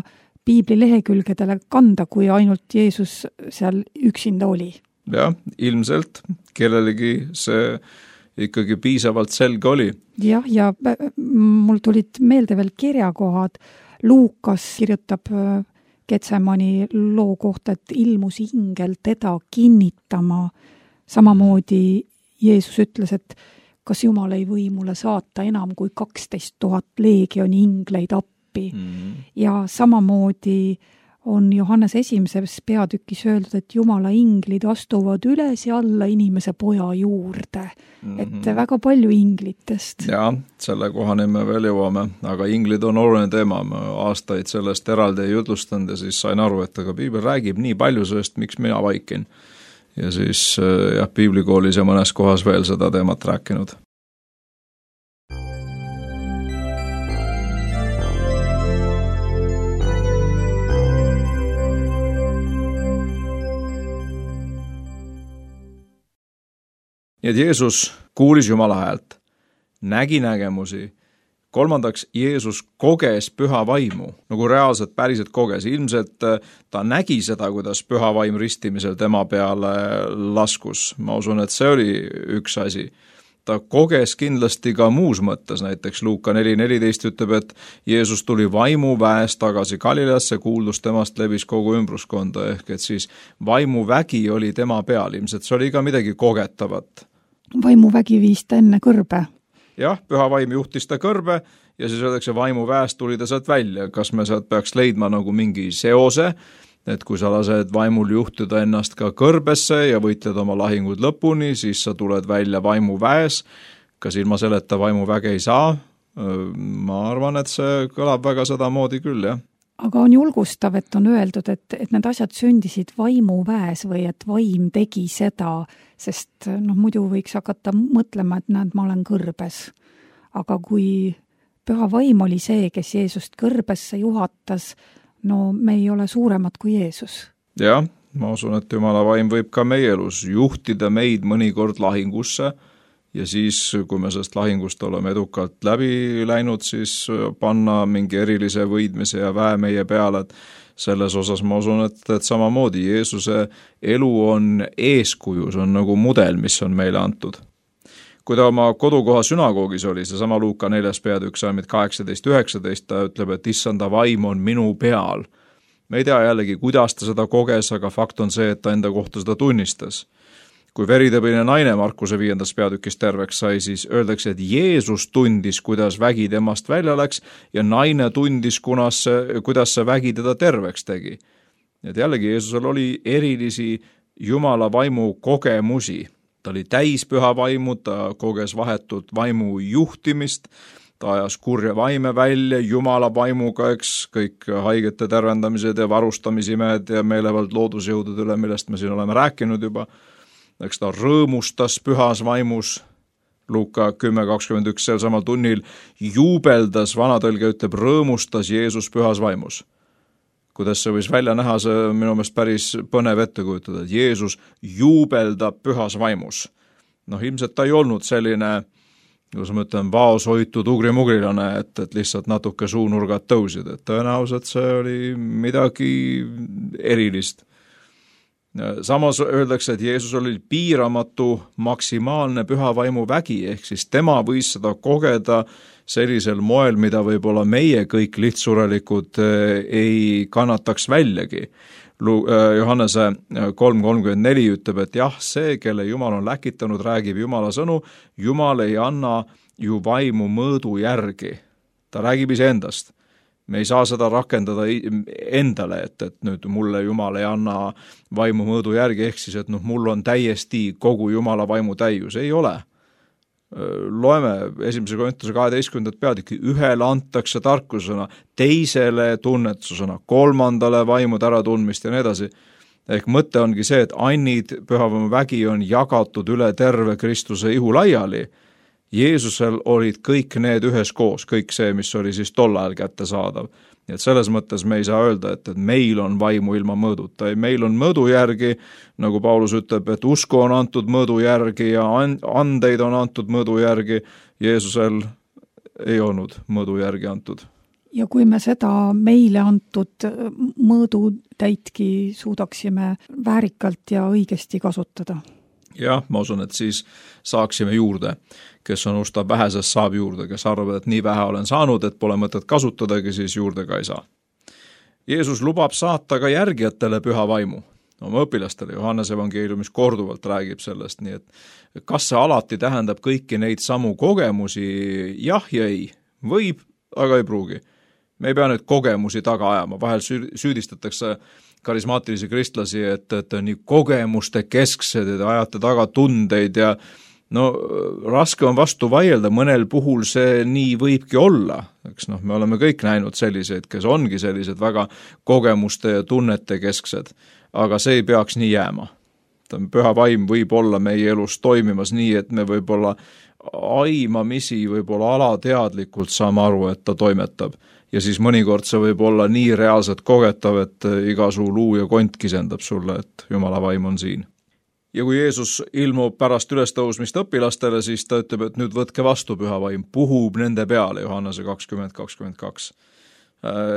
piibli lehekülgedele kanda, kui ainult Jeesus seal üksinda oli. Jah, ilmselt kellelegi see ikkagi piisavalt selge oli. Jah, ja mul tulid meelde veel kirjakohad. Luukas kirjutab Getsemani loo kohta, et ilmus ingel teda kinnitama. Samamoodi Jeesus ütles, et kas Jumal ei või mulle saata enam kui kaksteist tuhat leegioni ingleid appi. Mm. Ja samamoodi on Johannes esimeses peatükis öeldud, et Jumala inglid astuvad üles ja alla inimese poja juurde. Mm-hmm. Et väga palju inglitest. Ja, selle kohani me veel jõuame, aga inglid on oluline teema. Ma aastaid sellest eraldi ei jutlustanud ja siis sain aru, et aga piibel räägib nii palju sellest, miks mina vaikin. Ja siis jah, piiblikoolis ja mõnes kohas veel seda teemat rääkinud. Nii et Jeesus kuulis Jumala häält, nägi nägemusi, kolmandaks, Jeesus koges püha vaimu, nagu reaalselt päriselt koges. Ilmselt ta nägi seda, kuidas püha vaim ristimisel tema peale laskus. Ma usun, et see oli üks asi. Ta koges kindlasti ka muus mõttes, näiteks Luuka neli neliteist ütleb, et Jeesus tuli vaimu väes tagasi Galileasse, kuuldus temast levis kogu ümbruskonda, ehk et siis vaimuvägi oli tema peal, ilmselt see oli ka midagi kogetavat. Vaimuvägi viis ta enne kõrbe. Jah, püha vaim juhtis ta kõrbe ja siis öeldakse, vaimu väest tuli ta sealt välja. Kas me sealt peaks leidma nagu mingi seose, et kui sa lased vaimul juhtida ennast ka kõrbesse ja võitled oma lahingud lõpuni, siis sa tuled välja vaimu väes. Kas ilma selleta vaimu väge ei saa? Ma arvan, et see kõlab väga seda moodi küll, jah. Aga on julgustav, et on öeldud, et, et need asjad sündisid vaimu väes või et vaim tegi seda, sest noh, muidu võiks hakata mõtlema, et näed, ma olen kõrbes. Aga kui püha vaim oli see, kes Jeesust kõrbesse juhatas, no me ei ole suuremad kui Jeesus. Jah, ma usun, et Jumala vaim võib ka meie elus juhtida meid mõnikord lahingusse ja siis, kui me sellest lahingust oleme edukalt läbi läinud, siis panna mingi erilise võidmise ja väe meie peale, et selles osas ma usun, et, et samamoodi Jeesuse elu on eeskuju, see on nagu mudel, mis on meile antud. Kui ta oma kodukoha sünagoogis oli, see sama Luuka neljas peatükk salmid kaheksateist üheksateist, ta ütleb, et issanda vaim on minu peal. Me ei tea jällegi, kuidas ta seda koges, aga fakt on see, et ta enda kohta seda tunnistas. Kui veritõbine naine Markuse viiendas peatükis terveks sai, siis öeldakse, et Jeesus tundis, kuidas vägi temast välja läks ja naine tundis, kunas see, kuidas see vägi teda terveks tegi. Et jällegi Jeesusel oli erilisi Jumala vaimu kogemusi. Ta oli täis püha vaimu, ta koges vahetut vaimu juhtimist, ta ajas kurja vaime välja Jumala vaimuga, eks kõik haigete tervendamised ja varustamisemed ja meelevald loodusjõudud üle, millest me siin oleme rääkinud juba. Eks ta rõõmustas pühas vaimus, Luuka kümme kakskümmend üks sel samal tunnil juubeldas, vanatõlge ütleb, rõõmustas Jeesus pühas vaimus. Kuidas see võis välja näha, see minu meelest päris põnev ette kujutada, et Jeesus juubeldab pühas vaimus. Noh, ilmselt ta ei olnud selline, kuidas ma ütlen, vaoshoitud ugrimugrilane, et, et lihtsalt natuke suunurgad tõusid, et tõenäoliselt see oli midagi erilist. Samas öeldakse, et Jeesus oli piiramatu maksimaalne püha vaimu vägi, ehk siis tema võis seda kogeda sellisel moel, mida võib-olla meie kõik lihtsurelikud ei kannataks väljagi. Johannese kolm kolmkümmend neli ütleb, et jah, see, kelle Jumal on läkitanud, räägib Jumala sõnu, Jumal ei anna ju vaimu mõõdu järgi. Ta räägib iseendast. Me ei saa seda rakendada endale, et, et nüüd mulle Jumal ei anna vaimu mõõdu järgi, ehk siis, et noh, mul on täiesti kogu Jumala vaimu täius. Ei ole. Loeme esimese Korintuse kaheteistkümnendat peatükki, ühele antakse tarkusena, teisele tunnetusena, kolmandale vaimu äratundmist ja nii edasi. Ehk mõte ongi see, et annid pühavaimu vägi on jagatud üle terve Kristuse ihu laiali. Jeesusel olid kõik need ühes koos, kõik see, mis oli siis tol ajal kätte saadav. Nii et selles mõttes me ei saa öelda, et, et meil on vaimu ilma mõõduta. Meil on mõõdu järgi, nagu Paulus ütleb, et usku on antud mõõdu järgi ja andeid on antud mõõdu järgi. Jeesusel ei olnud mõõdu järgi antud. Ja kui me seda meile antud mõõdutäitki suudaksime väärikalt ja õigesti kasutada? Jah, ma usun, et siis saaksime juurde, kes on ustab vähesest saab juurde, kes arvab, et nii vähe olen saanud, et pole mõtet kasutadagi, siis juurde ka ei saa. Jeesus lubab saata ka järgijatele püha vaimu, oma õpilastele. Johannes evangeeliumis korduvalt räägib sellest, nii et kas see alati tähendab kõiki neid samu kogemusi? Jah ja ei. Võib, aga ei pruugi. Me ei pea nüüd kogemusi taga ajama, vahel süüdistatakse karismaatilisi kristlasi, et, et nii kogemuste kesksed, et ajate taga tundeid ja no raske on vastu vaielda, mõnel puhul see nii võibki olla. Eks noh, me oleme kõik näinud selliseid, kes ongi sellised väga kogemuste ja tunnete kesksed, aga see ei peaks nii jääma. Püha vaim võib olla meie elus toimimas nii, et me võib-olla aimamisi, võib-olla alateadlikult saame aru, et ta toimetab. Ja siis mõnikord see võib olla nii reaalselt kogetav, et iga suu luu ja kont kisendab sulle, et Jumala vaim on siin. ja kui Jeesus ilmub pärast ülestõusmist õpilastele, siis ta ütleb, et nüüd võtke vastu püha vaim, puhub nende peale, Johannese kakskümmend kakskümmend kaks.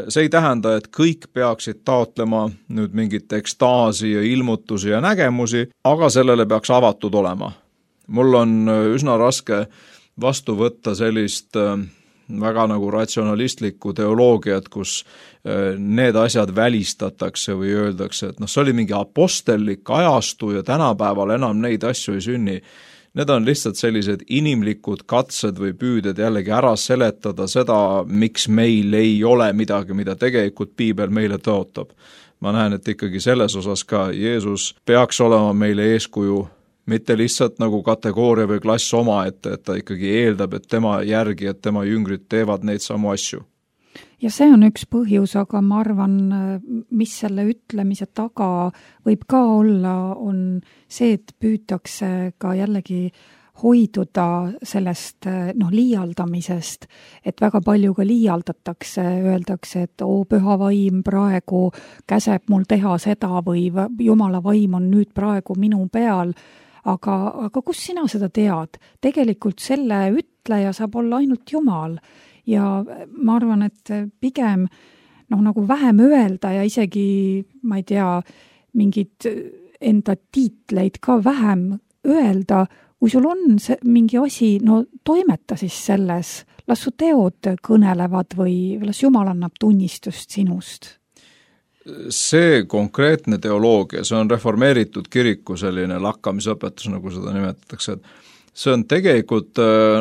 See ei tähenda, et kõik peaksid taotlema nüüd mingit ekstaasi ja ilmutusi ja nägemusi, aga sellele peaks avatud olema. Mul on üsna raske vastu võtta sellist väga nagu ratsionalistlikku teoloogiat, kus need asjad välistatakse või öeldakse, et noh, see oli mingi apostellik ajastu ja tänapäeval enam neid asju ei sünni. Need on lihtsalt sellised inimlikud katsed või püüded jällegi ära seletada seda, miks meil ei ole midagi, mida tegelikult piibel meile tõotab. Ma näen, et ikkagi selles osas ka Jeesus peaks olema meile eeskuju, mitte lihtsalt nagu kategooria või klass oma, et, et ta ikkagi eeldab, et tema järgi, et tema jüngrid teevad neid samu asju. Ja see on üks põhjus, aga ma arvan, mis selle ütlemise taga võib ka olla, on see, et püütakse ka jällegi hoiduda sellest noh, liialdamisest, et väga palju ka liialdatakse, öeldakse, et oo, püha vaim praegu käseb mul teha seda või Jumala vaim on nüüd praegu minu peal, aga, aga kus sina seda tead? Tegelikult selle ütleja saab olla ainult Jumal. Ja ma arvan, et pigem noh, nagu vähem öelda ja isegi, ma ei tea, mingid enda tiitleid ka vähem öelda, kui sul on see, mingi asi, no toimeta siis selles, las su teod kõnelevad või las Jumal annab tunnistust sinust. See konkreetne teoloogia, see on reformeeritud kiriku selline lakkamisõpetus, nagu seda nimetatakse, et see on tegelikult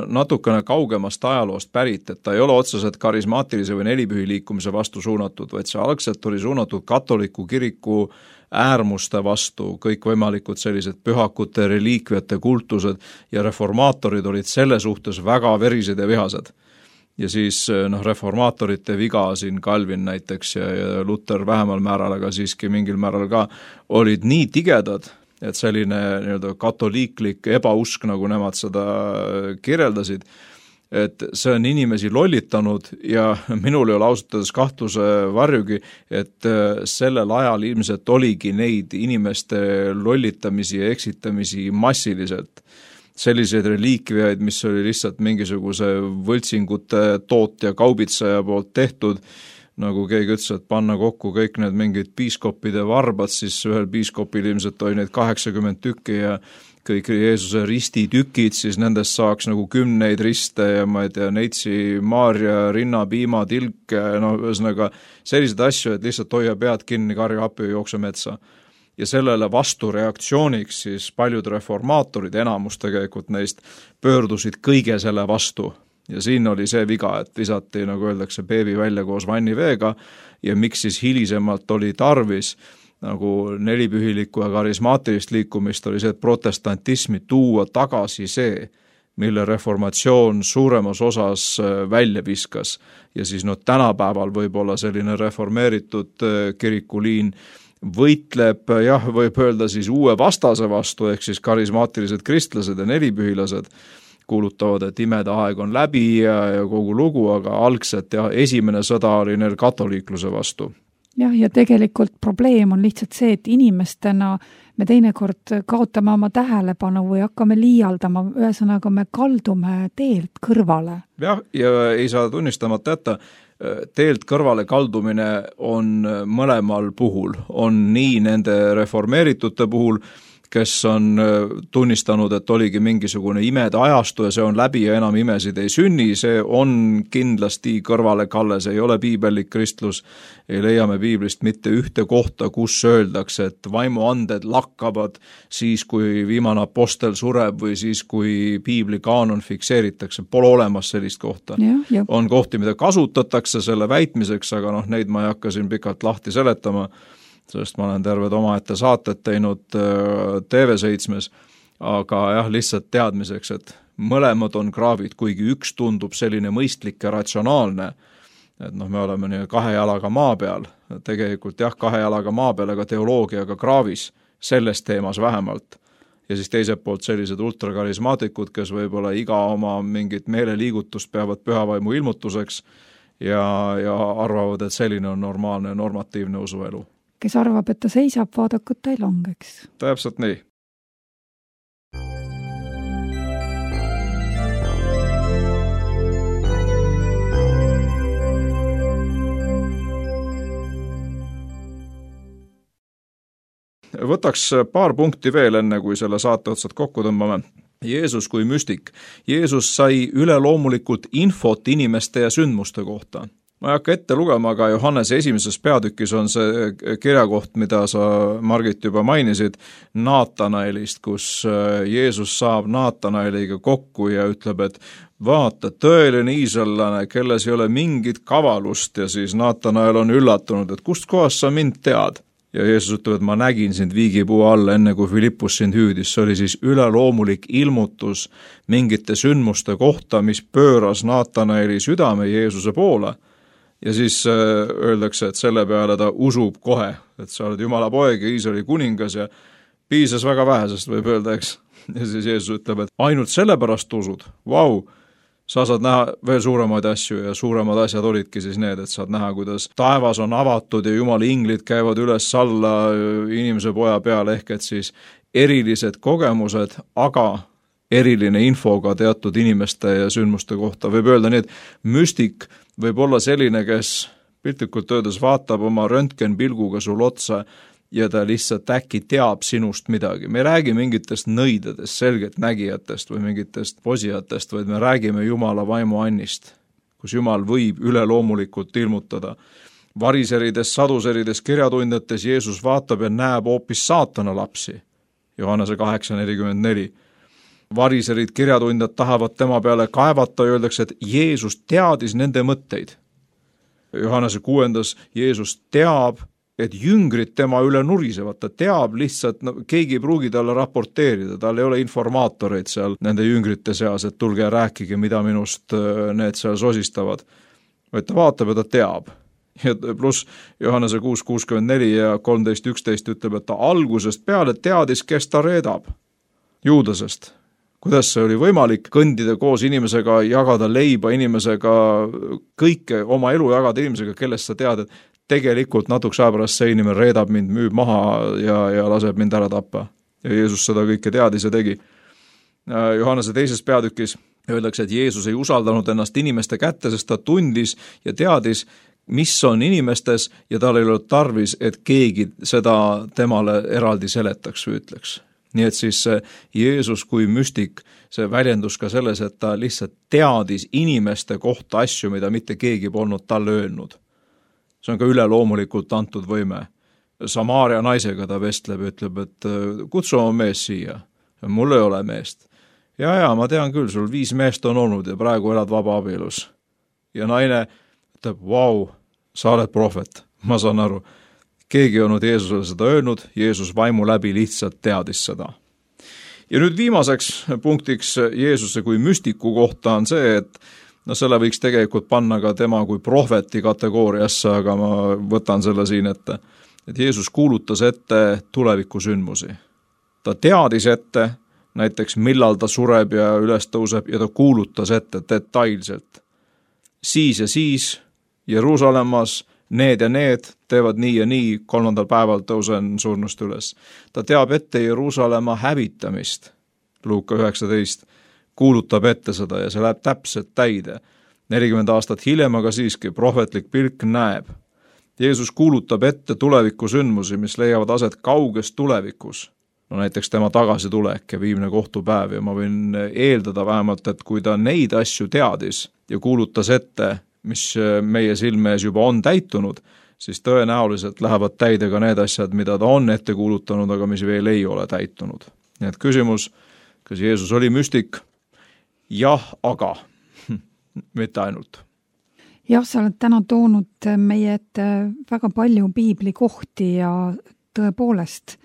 natukene kaugemast ajaloost pärit, et ta ei ole otseselt karismaatilise või nelipühi liikumise vastu suunatud, vaid see algselt oli suunatud katoliku kiriku äärmuste vastu, kõikvõimalikud sellised pühakute, reliikviate kultused ja reformaatorid olid selle suhtes väga verised ja vihased. Ja siis noh, reformaatorite viga siin Calvin näiteks ja, ja Luther vähemal määral, aga siiski mingil määral ka olid nii tigedad, et selline nii-öelda katoliiklik ebausk, nagu nemad seda kirjeldasid, et see on inimesi lollitanud ja minul ei ole ausatades kahtluse varjugi, et sellel ajal ilmselt oligi neid inimeste lollitamisi ja eksitamisi massiliselt. Selliseid reliikviaid, mis oli lihtsalt mingisuguse võltsingute tootja kaubitsaja poolt tehtud, nagu keegi ütles, et panna kokku kõik need mingid piiskopide varbad, siis ühel piiskopil ilmselt oli neid kaheksakümmend tükki ja kõik Jeesuse ristitükid, siis nendest saaks nagu kümneid riste ja ma ei tea, neitsi, Maarja, rinnapiima, tilk, no ühesõnaga sellised asju, et lihtsalt hoia pead kinni, karja appi ja jookse metsa. Ja sellele vastureaktsiooniks siis paljud reformaatorid, enamus tegelikult neist, pöördusid kõige selle vastu. Ja siin oli see viga, et visati, nagu öeldakse, beebi välja koos vanniveega ja miks siis hilisemalt oli tarvis nagu nelipühilikku ja karismaatilist liikumist oli see, et protestantismi tuua tagasi see, mille reformatsioon suuremas osas välja viskas. Ja siis no tänapäeval võib-olla selline reformeeritud kirikuliin võitleb, jah, võib öelda siis uue vastase vastu, ehk siis karismaatilised kristlased ja nelipühilased, kuulutavad, et imede aeg on läbi ja, ja kogu lugu, aga algselt ja esimene sõda oli neil katoliikluse vastu. Jah, ja tegelikult probleem on lihtsalt see, et inimestena me teinekord kaotame oma tähelepanu või hakkame liialdama, ühesõnaga me kaldume teelt kõrvale. Jah, ja ei saa tunnistamata jätta, teelt kõrvale kaldumine on mõlemal puhul, on nii nende reformeeritute puhul, kes on tunnistanud, et oligi mingisugune imede ajastu ja see on läbi ja enam imesid ei sünni, see on kindlasti kõrvale kalle, see ei ole piibellik kristlus, ei leia me piiblist mitte ühte kohta, kus öeldakse, et vaimuanded lakkavad siis, kui viimane apostel sureb või siis, kui piibli kaanon fikseeritakse, pole olemas sellist kohta. Ja, ja. On kohti, mida kasutatakse selle väitmiseks, aga noh, neid ma ei hakka siin pikalt lahti seletama, sest ma olen terved omaette saated teinud T V seitsmes, aga jah, lihtsalt teadmiseks, et mõlemad on kraavid, kuigi üks tundub selline mõistlik ja ratsionaalne, et noh, me oleme nii kahe jalaga maa peal, tegelikult jah, kahe jalaga maa peal, aga teoloogiaga kraavis, selles teemas vähemalt. Ja siis teiselt poolt sellised ultrakarismaatikud, kes võib-olla iga oma mingit meeleliigutust peavad pühavaimu ilmutuseks ja, ja arvavad, et selline on normaalne ja normatiivne usuelu. Kes arvab, et ta seisab, vaadakud ta ei langeks. Täpselt nii. võtaks paar punkti veel enne, kui selle saate otsad kokku tõmbame. Jeesus kui müstik. Jeesus sai üleloomulikult infot inimeste ja sündmuste kohta. Ma ei hakka ette lugema, aga Johannese esimeses peatükis on see kirjakoht, mida sa, Margit, juba mainisid, Naatanaelist, kus Jeesus saab Naatanaeliga kokku ja ütleb, et vaata, tõeline iisraellane, kelles ei ole mingit kavalust, ja siis Naatanael on üllatunud, et kust kohast sa mind tead? Ja Jeesus ütleb, et ma nägin sind viigipuu all, enne kui Filippus sind hüüdis. See oli siis üleloomulik ilmutus mingite sündmuste kohta, mis pööras Naatanaeli südame Jeesuse poole. Ja siis öeldakse, et selle peale ta usub kohe, et sa oled Jumala poeg ja Iisraeli kuningas ja piisas väga vähesest, võib öelda, eks. Ja siis Jeesus ütleb, et ainult sellepärast usud. Vau, sa saad näha veel suuremaid asju ja suuremad asjad olidki siis need, et saad näha, kuidas taevas on avatud ja Jumala inglid käivad üles alla inimese poja peale, ehk et siis erilised kogemused, aga eriline infoga teatud inimeste ja sündmuste kohta. Võib öelda nii, et müstik võib olla selline, kes piltlikult öeldes vaatab oma röntgenpilguga sul otsa ja ta lihtsalt äkki teab sinust midagi. Me ei räägi mingitest nõidadest, selgelt nägijatest või mingitest posijatest, vaid me räägime Jumala vaimu annist, kus Jumal võib üleloomulikult ilmutada. Variserides, saduserides, kirjatundjates Jeesus vaatab ja näeb hoopis saatana lapsi. Johannese kaheksa nelikümmend neli. Variserid, kirjatundjad tahavad tema peale kaevata ja öeldakse, et Jeesus teadis nende mõtteid. Johannese kuuendas Jeesus teab, et jüngrid tema üle nurisevad, ta teab lihtsalt, no, keegi ei pruugi talle raporteerida, tal ei ole informaatoreid seal nende jüngrite seas, et tulge ja rääkige, mida minust need seal sosistavad. Vaid ta vaatab ja ta teab. Ja pluss Johannese kuus kuuskümmend neli ja kolmteist üksteist ütleb, et ta algusest peale teadis, kes ta reedab. Juudasest. Kuidas see oli võimalik kõndida koos inimesega, jagada leiba inimesega, kõike oma elu jagada inimesega, kellest sa tead, et tegelikult natuks aja pärast see inimene reedab mind, müüb maha ja, ja laseb mind ära tappa. Ja Jeesus seda kõike teadis ja tegi. Johannese teises peatükis öeldakse, et Jeesus ei usaldanud ennast inimeste kätte, sest ta tundis ja teadis, mis on inimestes ja tal ei olnud tarvis, et keegi seda temale eraldi seletaks või ütleks. Nii et siis Jeesus kui müstik, see väljendus ka selles, et ta lihtsalt teadis inimeste kohta asju, mida mitte keegi polnud talle öelnud. See on ka üleloomulikult antud võime. Samaaria naisega ta vestleb ja ütleb, et kutsu oma mees siia. Mul ei ole meest. Ja, ja, ma tean küll, sul viis meest on olnud ja praegu elad vaba abielus. Ja naine ütleb, vau, sa oled prohvet, ma saan aru. Keegi on Jeesusele seda öelnud, Jeesus vaimu läbi lihtsalt teadis seda. Ja nüüd viimaseks punktiks Jeesuse kui müstiku kohta on see, et no selle võiks tegelikult panna ka tema kui prohveti kategooriasse, aga ma võtan selle siin ette, et Jeesus kuulutas ette tulevikusündmusi. Ta teadis ette, näiteks millal ta sureb ja üles tõuseb ja ta kuulutas ette detailselt. Siis ja siis Jeruusalemmas need ja need teevad nii ja nii, kolmandal päeval tõusen surnust üles. Ta teab ette Jeruusalemma hävitamist, Luuka üheksateist, kuulutab ette seda ja see läheb täpselt täide. nelikümmend aastat hiljem, aga siiski prohvetlik pilk näeb. Jeesus kuulutab ette tulevikusündmusi, mis leiavad aset kauges tulevikus. No näiteks tema tagasitulek ja viimne kohtupäev ja ma võin eeldada vähemalt, et kui ta neid asju teadis ja kuulutas ette, mis meie silme ees juba on täitunud, siis tõenäoliselt lähevad täide ka need asjad, mida ta on ette kuulutanud, aga mis veel ei ole täitunud. Nii et küsimus, kas Jeesus oli müstik? Jah, aga mitte ainult. Jah, sa oled täna toonud meie ette väga palju piibli kohti ja tõepoolest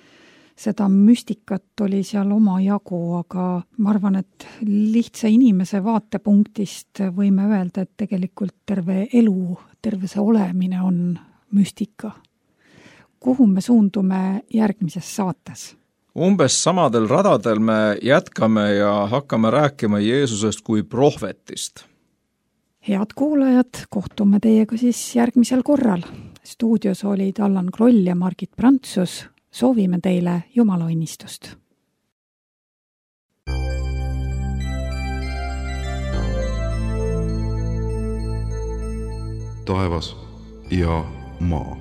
seda müstikat oli seal oma jagu, aga ma arvan, et lihtsa inimese vaatepunktist võime öelda, et tegelikult terve elu, terve see olemine on müstika. Kuhu me suundume järgmises saates? Umbes samadel radadel me jätkame ja hakkame rääkima Jeesusest kui prohvetist. Head kuulajad, kohtume teiega siis järgmisel korral. Stuudios olid Allan Kroll ja Margit Prantsus. Soovime teile Jumala õnnistust. Taevas ja maa.